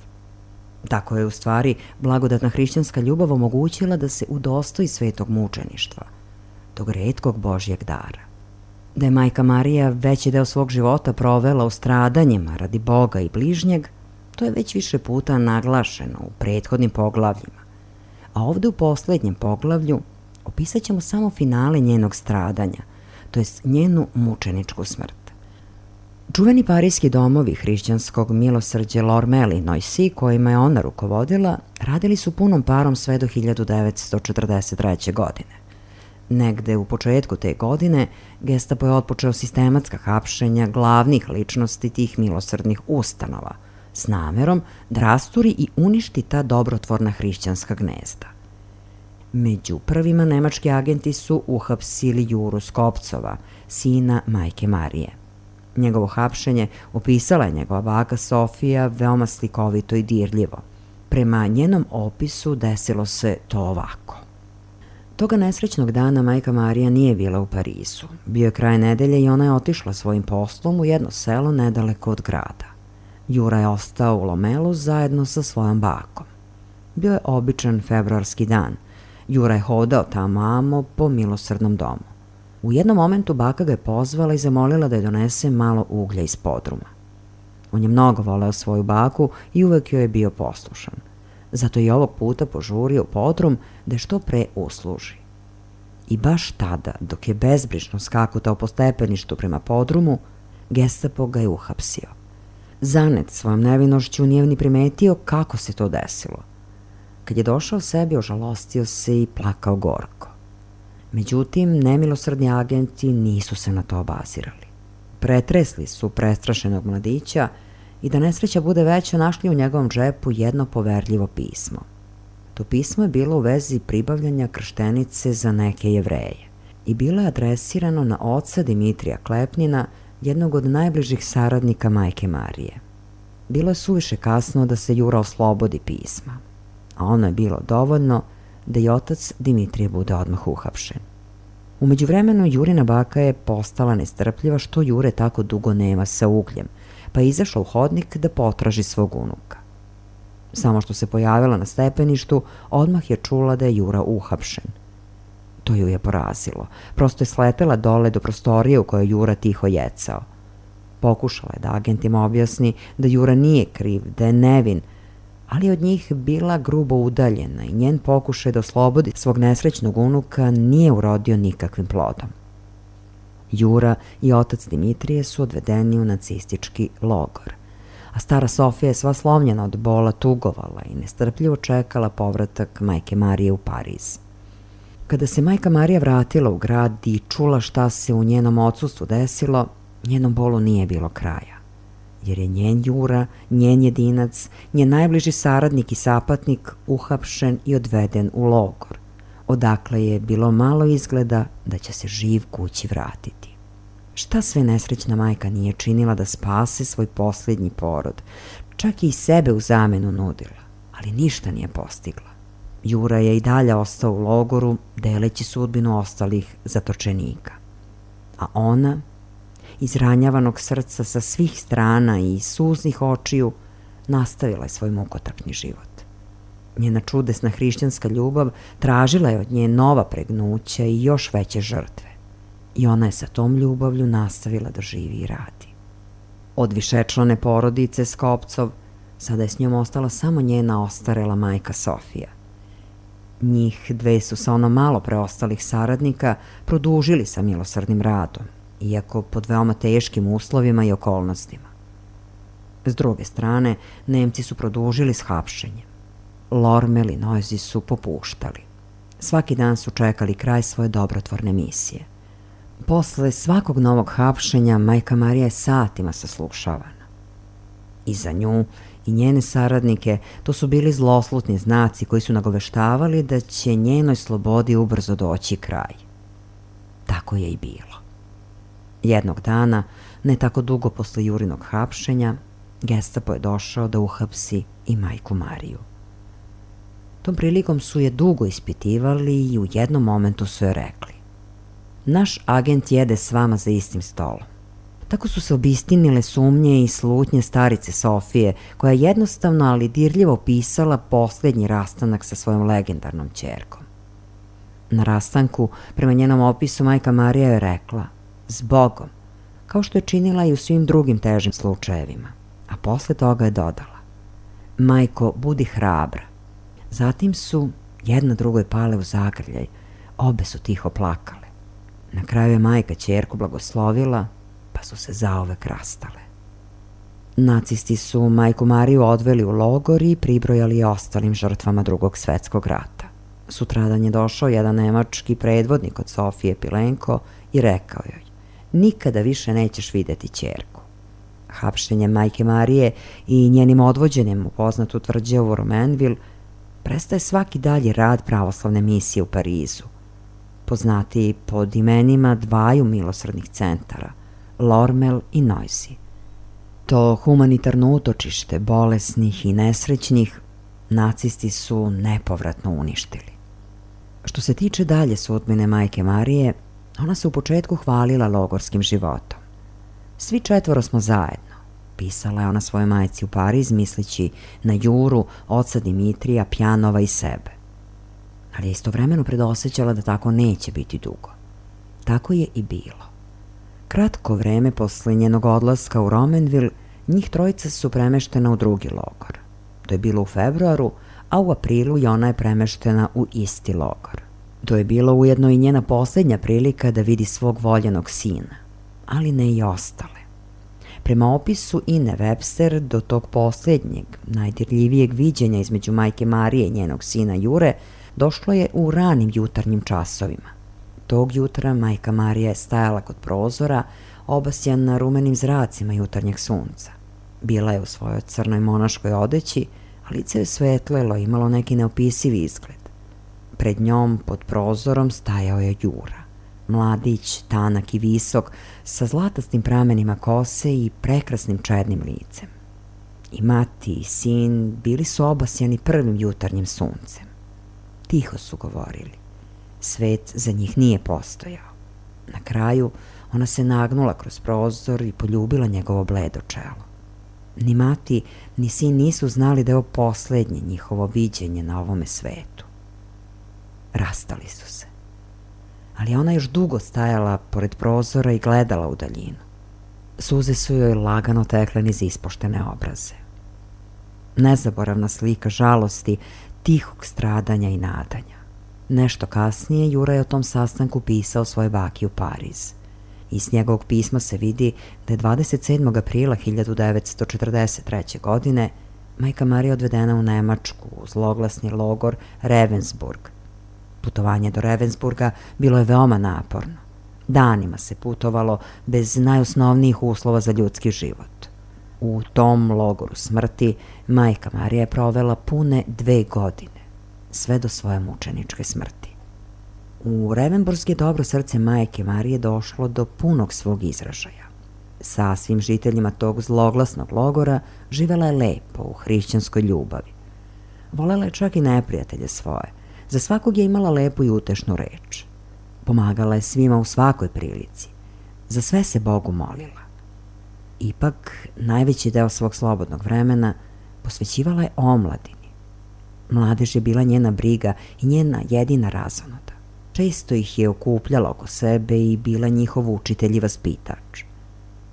[SPEAKER 1] Tako je u stvari blagodatna hrišćanska ljubav omogućila da se udostoji svetog mučeništva, tog retkog Božjeg dara. Da je majka Marija veći deo svog života provela u stradanjima radi Boga i bližnjeg, to je već više puta naglašeno u prethodnim poglavljima. A ovde u poslednjem poglavlju opisat ćemo samo finale njenog stradanja, to jest njenu mučeničku smrt. Čuveni parijski domovi hrišćanskog milosrđa Lormel i Noisy, kojima je ona rukovodila, radili su punom parom sve do hiljadu devetsto četrdeset treće. godine. Negde u početku te godine Gestapo je otpočeo sistematska hapšenja glavnih ličnosti tih milosrdnih ustanova, s namerom da rasturi i uništi ta dobrotvorna hrišćanska gnezda. Među prvima nemački agenti su uhapsili Juru Skopcova, sina majke Marije. Njegovo hapšenje opisala je njegova baka Sofija veoma slikovito i dirljivo. Prema njenom opisu desilo se to ovako. Toga nesrećnog dana majka Marija nije bila u Parizu. Bio je kraj nedelje i ona je otišla svojim poslom u jedno selo nedaleko od grada. Jura je ostao u Lomelu zajedno sa svojom bakom. Bio je običan februarski dan. Jura je hodao tamo po milosrdnom domu. U jednom momentu baka ga je pozvala i zamolila da je donese malo uglja iz podruma. On je mnogo voleo svoju baku i uvek joj je bio poslušan. Zato je ovog puta požurio podrum da je što pre usluži. I baš tada, dok je bezbrižno skakutao po stepeništu prema podrumu, Gestapo ga je uhapsio. Zanet svojom nevinošću nije ni primetio kako se to desilo. Kad je došao sebi, ožalostio se i plakao gorko. Međutim, nemilosrdni agenti nisu se na to obazirali. Pretresli su prestrašenog mladića i da nesreća bude veća našli u njegovom džepu jedno poverljivo pismo. To pismo je bilo u vezi pribavljanja krštenice za neke Jevreje i bilo je adresirano na oca Dimitrija Klepnina, jednog od najbližih saradnika majke Marije. Bilo je suviše kasno da se Jura oslobodi pisma, a ono je bilo dovoljno da i otac Dimitrije bude odmah uhapšen. U međuvremenu Jurina baka je postala nestrpljiva što Jure tako dugo nema sa ugljem, pa je izašla u hodnik da potraži svog unuka. Samo što se pojavila na stepeništu, odmah je čula da je Jura uhapšen. To ju je porazilo. Prosto je sletela dole do prostorije u kojoj Jura tiho jecao. Pokušala je da agentima objasni da Jura nije kriv, da je nevin, ali od njih bila grubo udaljena i njen pokušaj da oslobodi svog nesrećnog unuka nije urodio nikakvim plodom. Jura i otac Dimitrije su odvedeni u nacistički logor, a stara Sofija je sva slomljena od bola tugovala i nestrpljivo čekala povratak majke Marije u Pariz. Kada se majka Marija vratila u grad i čula šta se u njenom odsustvu desilo, njenom bolu nije bilo kraja, jer je njen Jura, njen jedinac, njen najbliži saradnik i sapatnik uhapšen i odveden u logor, odakle je bilo malo izgleda da će se živ kući vratiti. Šta sve nesrećna majka nije činila da spase svoj posljednji porod, čak i sebe u zamenu nudila, ali ništa nije postigla. Jura je i dalje ostao u logoru, deleći sudbinu ostalih zatočenika. A ona, izranjavanog srca sa svih strana i suznih očiju, nastavila je svoj mukotrpni život. Njena čudesna hrišćanska ljubav tražila je od nje nova pregnuća i još veće žrtve. I ona je sa tom ljubavlju nastavila da živi i radi. Od višečlane porodice Skopcov sada je s njom ostala samo njena ostarela majka Sofija. Njih dve su sa ono malo preostalih saradnika produžili sa milosrdnim radom, iako pod veoma teškim uslovima i okolnostima. S druge strane, Nemci su produžili s hapšenjem. Lormel i Noisy su popuštali. Svaki dan su čekali kraj svoje dobrotvorne misije. Posle svakog novog hapšenja majka Marija je satima saslušavana. I za nju i njene saradnike to su bili zloslutni znaci koji su nagoveštavali da će njenoj slobodi ubrzo doći kraj. Tako je i bilo. Jednog dana, ne tako dugo posle Jurinog hapšenja, Gestapo je došao da uhapsi i majku Mariju. Tom prilikom su je dugo ispitivali i u jednom momentu su je rekli: naš agent jede s vama za istim stolom. Tako su se obistinile sumnje i slutnje starice Sofije, koja je jednostavno, ali dirljivo opisala posljednji rastanak sa svojom legendarnom ćerkom. Na rastanku, prema njenom opisu, majka Marija je rekla: zbogom, kao što je činila i u svim drugim težim slučajevima, a posle toga je dodala: majko, budi hrabra. Zatim su jedna drugoj pale u zagrljaj, obe su tiho plakale. Na kraju je majka ćerku blagoslovila, pa su se zauvek rastale. Nacisti su majku Mariju odveli u logor i pribrojali je ostalim žrtvama Drugog svetskog rata. Sutradan je došao jedan nemački predvodnik od Sofije Pilenko i rekao joj: nikada više nećeš videti ćerku. Hapšenjem majke Marije i njenim odvođenjem u poznatu tvrđavu Romainville prestaje svaki dalji rad pravoslavne misije u Parizu, poznatiji pod imenima dvaju milosrdnih centara, Lormel i Noisy. To humanitarno utočište bolesnih i nesrećnih nacisti su nepovratno uništili. Što se tiče dalje sudbine majke Marije, ona se u početku hvalila logorskim životom. Svi četvoro smo zajedno, pisala je ona svojoj majci u Pariz, misleći na Juru, oca Dimitrija, Pjanova i sebe. Ali je istovremeno predosećala da tako neće biti dugo. Tako je i bilo. Kratko vreme posle njenog odlaska u Romainville, njih trojica su premeštena u drugi logor. To je bilo u februaru, a u aprilu i ona je premeštena u isti logor. To je bilo ujedno i njena posljednja prilika da vidi svog voljenog sina, ali ne i ostale. Prema opisu Ine Webster, do tog posljednjeg, najdirljivijeg viđenja između majke Marije i njenog sina Jure došlo je u ranim jutarnjim časovima. Tog jutra majka Marija je stajala kod prozora, obasjana rumenim zracima jutarnjeg sunca. Bila je u svojoj crnoj monaškoj odeći, a lice je svetlelo i imalo neki neopisivi izgled. Pred njom, pod prozorom, stajao je Jura. Mladić, tanak i visok, sa zlatastim pramenima kose i prekrasnim čednim licem. I mati i sin bili su obasjani prvim jutarnjim suncem. Tiho su govorili. Svet za njih nije postojao. Na kraju ona se nagnula kroz prozor i poljubila njegovo bledo čelo. Ni mati, ni sin nisu znali da je ovo posljednje njihovo viđenje na ovome svetu. Rastali su se. Ali ona još dugo stajala pored prozora i gledala u daljinu. Suze su joj lagano tekle niz ispoštene obraze. Nezaboravna slika žalosti, tihog stradanja i nadanja. Nešto kasnije Jura je o tom sastanku pisao svoj baki u Pariz. Iz njegovog pisma se vidi da je dvadeset sedmog aprila hiljadu devetsto četrdeset treće. godine majka Marija odvedena u Nemačku u zloglasni logor Ravensburg. Putovanje do Ravensburga bilo je veoma naporno. Danima se putovalo bez najosnovnijih uslova za ljudski život. U tom logoru smrti majka Marija je provela pune dve godine, sve do svoje mučeničke smrti. U Ravensburg je dobro srce majke Marije došlo do punog svog izražaja. Sa svim žiteljima tog zloglasnog logora živela je lepo u hrišćanskoj ljubavi. Volela je čak i neprijatelje svoje. Za svakog je imala lepu i utešnu reč. Pomagala je svima u svakoj prilici. Za sve se Bogu molila. Ipak, najveći deo svog slobodnog vremena posvećivala je omladini. Mladež je bila njena briga i njena jedina razonoda. Često ih je okupljala oko sebe i bila njihov učitelj i vaspitač.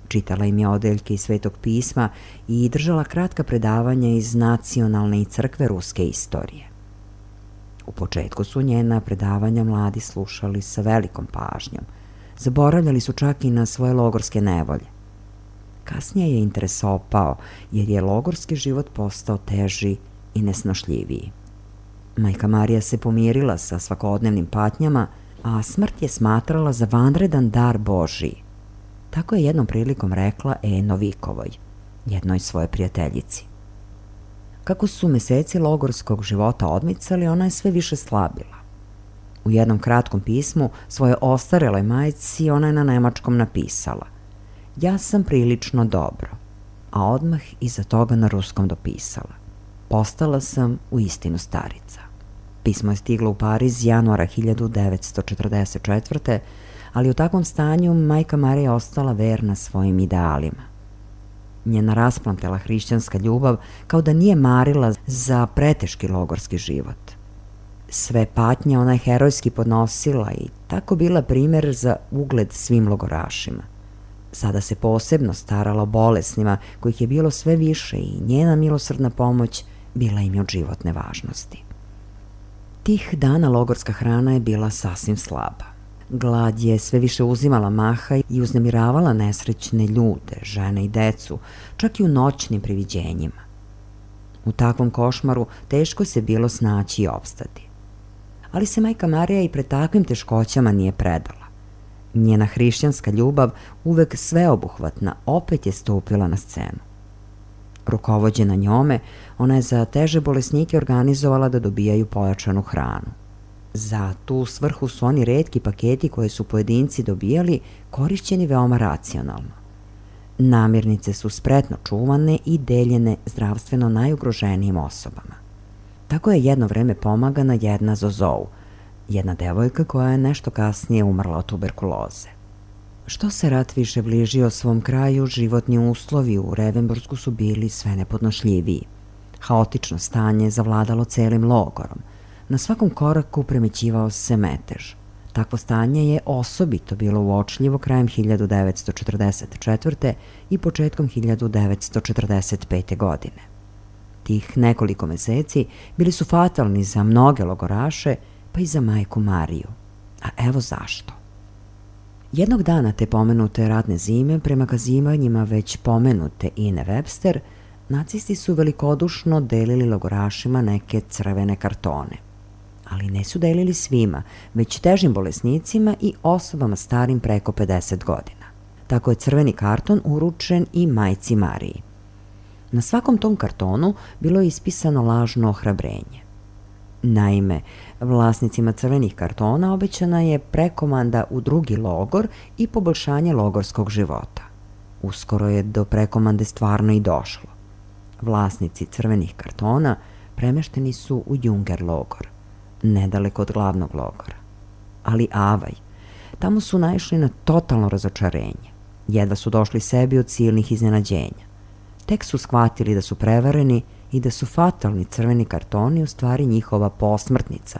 [SPEAKER 1] Čitala im je odeljke iz Svetog pisma i držala kratka predavanja iz nacionalne i crkve ruske istorije. U početku su njena predavanja mladi slušali sa velikom pažnjom. Zaboravljali su čak i na svoje logorske nevolje. Kasnije je interes opao, jer je logorski život postao teži i nesnošljiviji. Majka Marija se pomirila sa svakodnevnim patnjama, a smrt je smatrala za vanredan dar Božiji. Tako je jednom prilikom rekla E. Novikovoj, jednoj svoje prijateljici. Kako su meseci logorskog života odmicali, ona je sve više slabila. U jednom kratkom pismu svoje ostareloj majci ona je na nemačkom napisala: ja sam prilično dobro, a odmah iza toga na ruskom dopisala: postala sam u istinu starica. Pismo je stiglo u Pariz januara hiljadu devetsto četrdeset četvrte. ali u takvom stanju majka Marija je ostala verna svojim idealima. Njena rasplamtela hrišćanska ljubav kao da nije marila za preteški logorski život. Sve patnje ona je herojski podnosila i tako bila primer za ugled svim logorašima. Sada se posebno starala o bolesnima, kojih je bilo sve više, i njena milosrdna pomoć bila im je od životne važnosti. Tih dana logorska hrana je bila sasvim slaba. Glad je sve više uzimala maha i uznemiravala nesrećne ljude, žene i decu, čak i u noćnim priviđenjima. U takvom košmaru teško se bilo snaći i opstati. Ali se majka Marija i pred takvim teškoćama nije predala. Njena hrišćanska ljubav, uvek sveobuhvatna, opet je stupila na scenu. Rukovođena njome, ona je za teže bolesnike organizovala da dobijaju pojačanu hranu. Za tu svrhu su oni retki paketi koje su pojedinci dobijali korišćeni veoma racionalno. Namirnice su spretno čuvane i deljene zdravstveno najugroženijim osobama. Tako je jedno vreme pomagana jedna Zozou, jedna devojka koja je nešto kasnije umrla od tuberkuloze. Što se rat više bližio svom kraju, životni uslovi u Revenburgsku su bili sve nepodnošljiviji. Haotično stanje zavladalo celim logorom. Na svakom koraku premećivao se metež. Takvo stanje je osobito bilo uočljivo krajem hiljadu devetsto četrdeset četvrte. i početkom hiljadu devetsto četrdeset pete. godine. Tih nekoliko meseci bili su fatalni za mnoge logoraše, pa i za majku Mariju. A evo zašto. Jednog dana te pomenute ratne zime, prema kazivanjima već pomenute Ine Webster, nacisti su velikodušno delili logorašima neke crvene kartone. Ali ne su delili svima, već težim bolesnicima i osobama starim preko pedeset godina. Tako je crveni karton uručen i majci Mariji. Na svakom tom kartonu bilo je ispisano lažno ohrabrenje. Naime, vlasnicima crvenih kartona obećana je prekomanda u drugi logor i poboljšanje logorskog života. Uskoro je do prekomande stvarno i došlo. Vlasnici crvenih kartona premešteni su u Junger logor, nedaleko od glavnog logora. Ali avaj, tamo su naišli na totalno razočarenje. Jedva su došli sebi od silnih iznenađenja. Tek su shvatili da su prevareni i da su fatalni crveni kartoni u stvari njihova posmrtnica,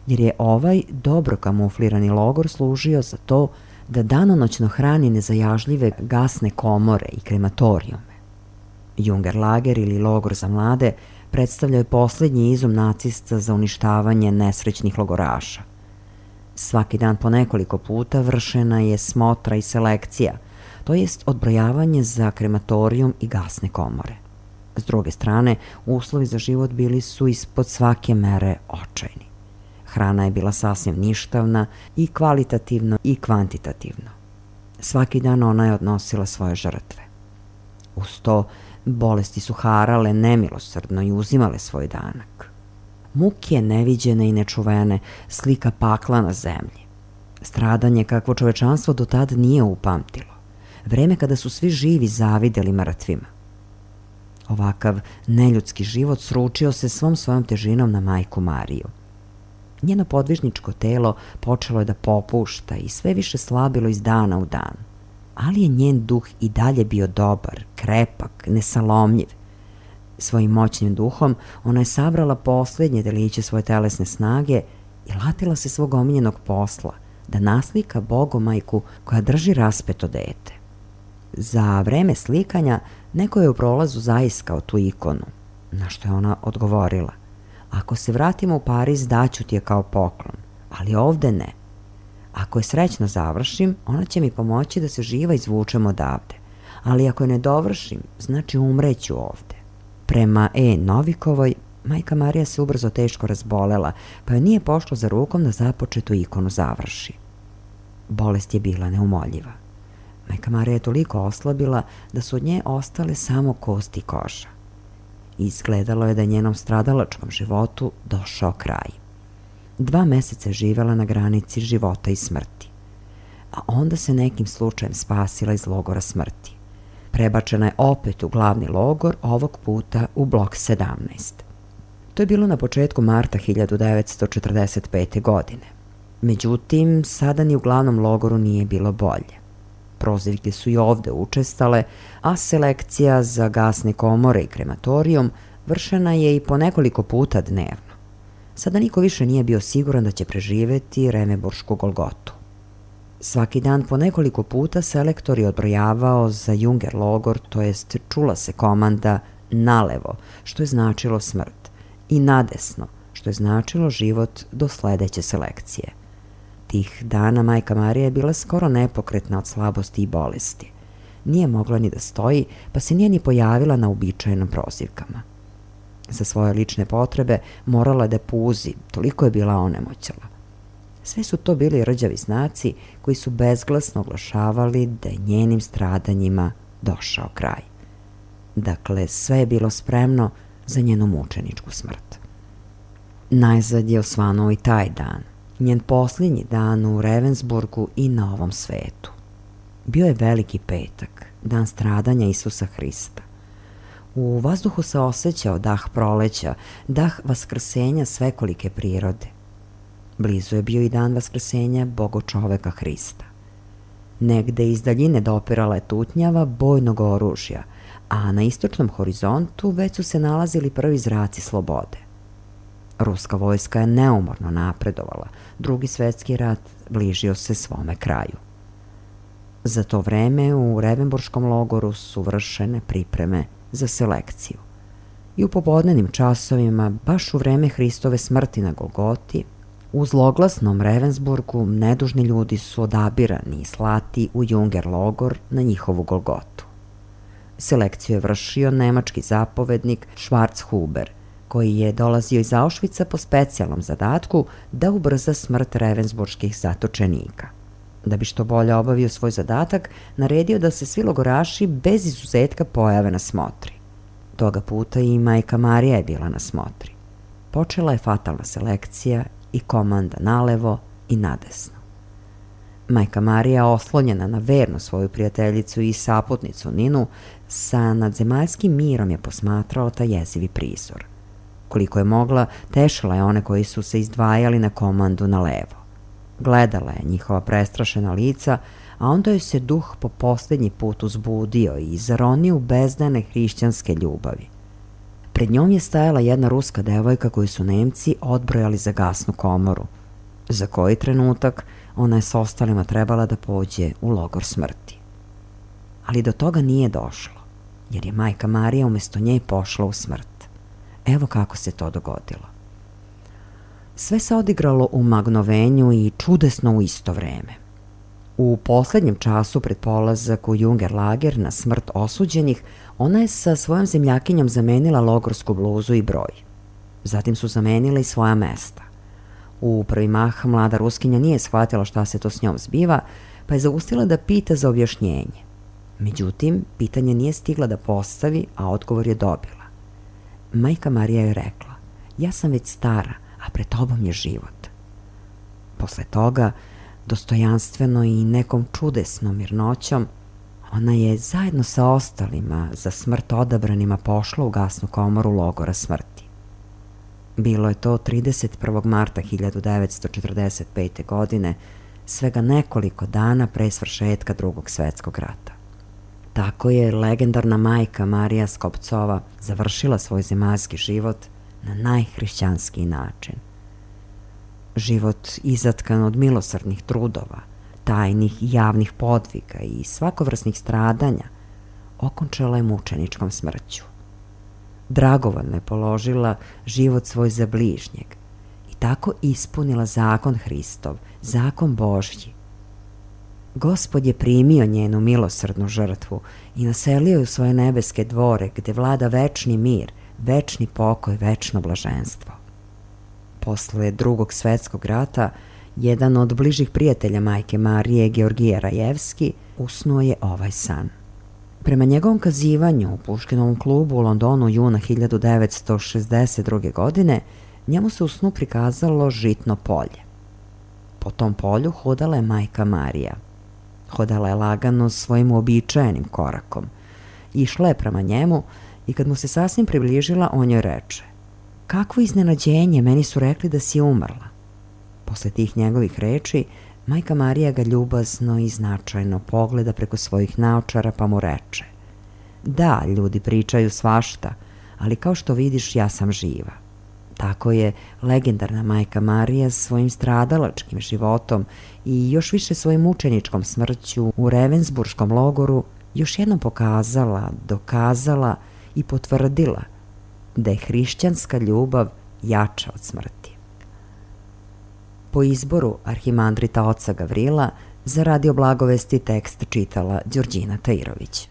[SPEAKER 1] jer je ovaj dobro kamuflirani logor služio za to da danonoćno hrani nezajažljive gasne komore i krematorijume. Junger lager ili logor za mlade predstavljao je poslednji izum nacista za uništavanje nesrećnih logoraša. Svaki dan po nekoliko puta vršena je smotra i selekcija, to jest odbrojavanje za krematorijum i gasne komore. S druge strane, uslovi za život bili su ispod svake mere očajni. Hrana je bila sasvim ništavna i kvalitativno i kvantitativno. Svaki dan ona je odnosila svoje žrtve. Uz to, bolesti su harale nemilosrdno i uzimale svoj danak. Muke neviđene i nečuvene, slika pakla na zemlji. Stradanje kakvo čovečanstvo do tad nije upamtilo. Vreme kada su svi živi zavideli mrtvima. Ovakav neljudski život sručio se svom svojom težinom na majku Mariju. Njeno podvižničko telo počelo je da popušta i sve više slabilo iz dana u dan. Ali je njen duh i dalje bio dobar, krepak, nesalomljiv. Svojim moćnim duhom ona je sabrala poslednje deliće svoje telesne snage i latila se svog omiljenog posla, da naslika Bogomajku koja drži raspeto dete. Za vreme slikanja neko je u prolazu zaiskao tu ikonu, na što je ona odgovorila: ako se vratimo u Pariz, daću ti je kao poklon, ali ovde ne. Ako je srećno završim, ona će mi pomoći da se živa izvučem odavde, ali ako je ne dovršim, znači umreću ovde. Prema E. Novikovoj, majka Marija se ubrzo teško razbolela, pa joj nije pošlo za rukom da započetu ikonu završi. Bolest je bila neumoljiva. Majka Marija je toliko oslabila da su od nje ostale samo kosti i koža. Izgledalo je da je njenom stradalačkom životu došao kraj. Dva meseca je živela na granici života i smrti, a onda se nekim slučajem spasila iz logora smrti. Prebačena je opet u glavni logor, ovog puta u blok sedamnaest. To je bilo na početku marta hiljadu devetsto četrdeset pete. godine. Međutim, sada ni u glavnom logoru nije bilo bolje. Prozivke su i ovde učestale, a selekcija za gasne komore i krematorijum vršena je i po nekoliko puta dnevno. Sada niko više nije bio siguran da će preživeti Remeburšku golgotu. Svaki dan po nekoliko puta selektor je odbrojavao za Junger logor, to jest čula se komanda nalevo, što je značilo smrt, i nadesno, što je značilo život do sledeće selekcije. Tih dana majka Marija je bila skoro nepokretna od slabosti i bolesti. Nije mogla ni da stoji, pa se nije ni pojavila na uobičajenim prozivkama. Za svoje lične potrebe morala je da puzi, toliko je bila onemoćala. Sve su to bili rđavi znaci koji su bezglasno oglašavali da je njenim stradanjima došao kraj. Dakle, sve je bilo spremno za njenu mučeničku smrt. Najzad je osvanuo i taj dan, njen posljednji dan u Ravensburgu i na ovom svetu. Bio je Veliki petak, dan stradanja Isusa Hrista. U vazduhu se osjećao dah proleća, dah vaskrsenja svekolike prirode. Blizu je bio i dan vaskrsenja Bogočoveka Hrista. Negde iz daljine dopirala je tutnjava bojnog oružja, a na istočnom horizontu već su se nalazili prvi zraci slobode. Ruska vojska je neumorno napredovala, Drugi svetski rat bližio se svome kraju. Za to vreme u Revenburškom logoru su vršene pripreme za selekciju. I u popodnevnim časovima, baš u vreme Hristove smrti na Golgoti, u zloglasnom Ravensburgu nedužni ljudi su odabirani i slati u Junger logor na njihovu Golgotu. Selekciju je vršio nemački zapovednik Schwarzhuber, koji je dolazio iz Auschwitza po specijalnom zadatku da ubrza smrt ravensburških zatočenika. Da bi što bolje obavio svoj zadatak, naredio da se svi logoraši bez izuzetka pojave na smotri. Toga puta i majka Marija je bila na smotri. Počela je fatalna selekcija i komanda nalevo i nadesno. Majka Marija, oslonjena na vernu svoju prijateljicu i saputnicu Ninu, sa nadzemaljskim mirom je posmatrala taj jezivi prizor. Koliko je mogla, tešila je one koji su se izdvajali na komandu na levo. Gledala je njihova prestrašena lica, a onda joj se duh po posljednji put uzbudio i zaronio u bezdane hrišćanske ljubavi. Pred njom je stajala jedna ruska devojka koju su Nemci odbrojali za gasnu komoru. Za koji trenutak ona je s ostalima trebala da pođe u logor smrti. Ali do toga nije došlo, jer je majka Marija umesto nje pošla u smrt. Evo kako se to dogodilo. Sve se odigralo u magnovenju i čudesno u isto vreme. U poslednjem času pred polazak u Junger lager na smrt osuđenih, ona je sa svojom zemljakinjom zamenila logorsku bluzu i broj. Zatim su zamenile i svoja mesta. U prvi mah mlada Ruskinja nije shvatila šta se to s njom zbiva, pa je zaustila da pita za objašnjenje. Međutim, pitanje nije stigla da postavi, a odgovor je dobila. Majka Marija je rekla: ja sam već stara, a pred tobom je život. Posle toga, dostojanstveno i nekom čudesnom mirnoćom, ona je zajedno sa ostalima za smrt odabranima pošla u gasnu komoru logora smrti. Bilo je to trideset prvog marta hiljadu devetsto četrdeset pete. godine, svega nekoliko dana pre svršetka Drugog svetskog rata. Tako je legendarna majka Marija Skopcova završila svoj zemaljski život na najhrišćanskiji način. Život izatkan od milosrdnih trudova, tajnih i javnih podviga i svakovrsnih stradanja, okončala je mučeničkom smrću. Dragovoljno je položila život svoj za bližnjeg i tako ispunila zakon Hristov, zakon Božji. Gospod je primio njenu milosrdnu žrtvu i naselio je u svoje nebeske dvore gde vlada večni mir, večni pokoj, večno blaženstvo. Posle Drugog svetskog rata, jedan od bližih prijatelja majke Marije, Georgije Rajevski, usnuo je ovaj san. Prema njegovom kazivanju u Puškinovom klubu u Londonu juna hiljadu devetsto šezdeset druge. godine, njemu se u snu prikazalo žitno polje. Po tom polju hodala je majka Marija. Hodala je lagano svojim uobičajenim korakom. Išla je prema njemu i kad mu se sasvim približila, on joj reče: "Kakvo iznenađenje, meni su rekli da si umrla." Posle tih njegovih reči, majka Marija ga ljubazno i značajno pogleda preko svojih naočara pa mu reče: "Da, ljudi pričaju svašta, ali kao što vidiš, ja sam živa." Tako je legendarna majka Marija svojim stradalačkim životom i još više svojim mučeničkom smrću u Ravensburškom logoru još jednom pokazala, dokazala i potvrdila da je hrišćanska ljubav jača od smrti. Po izboru arhimandrita oca Gavrila za Radio Blagovesti tekst čitala Đorđina Tajirović.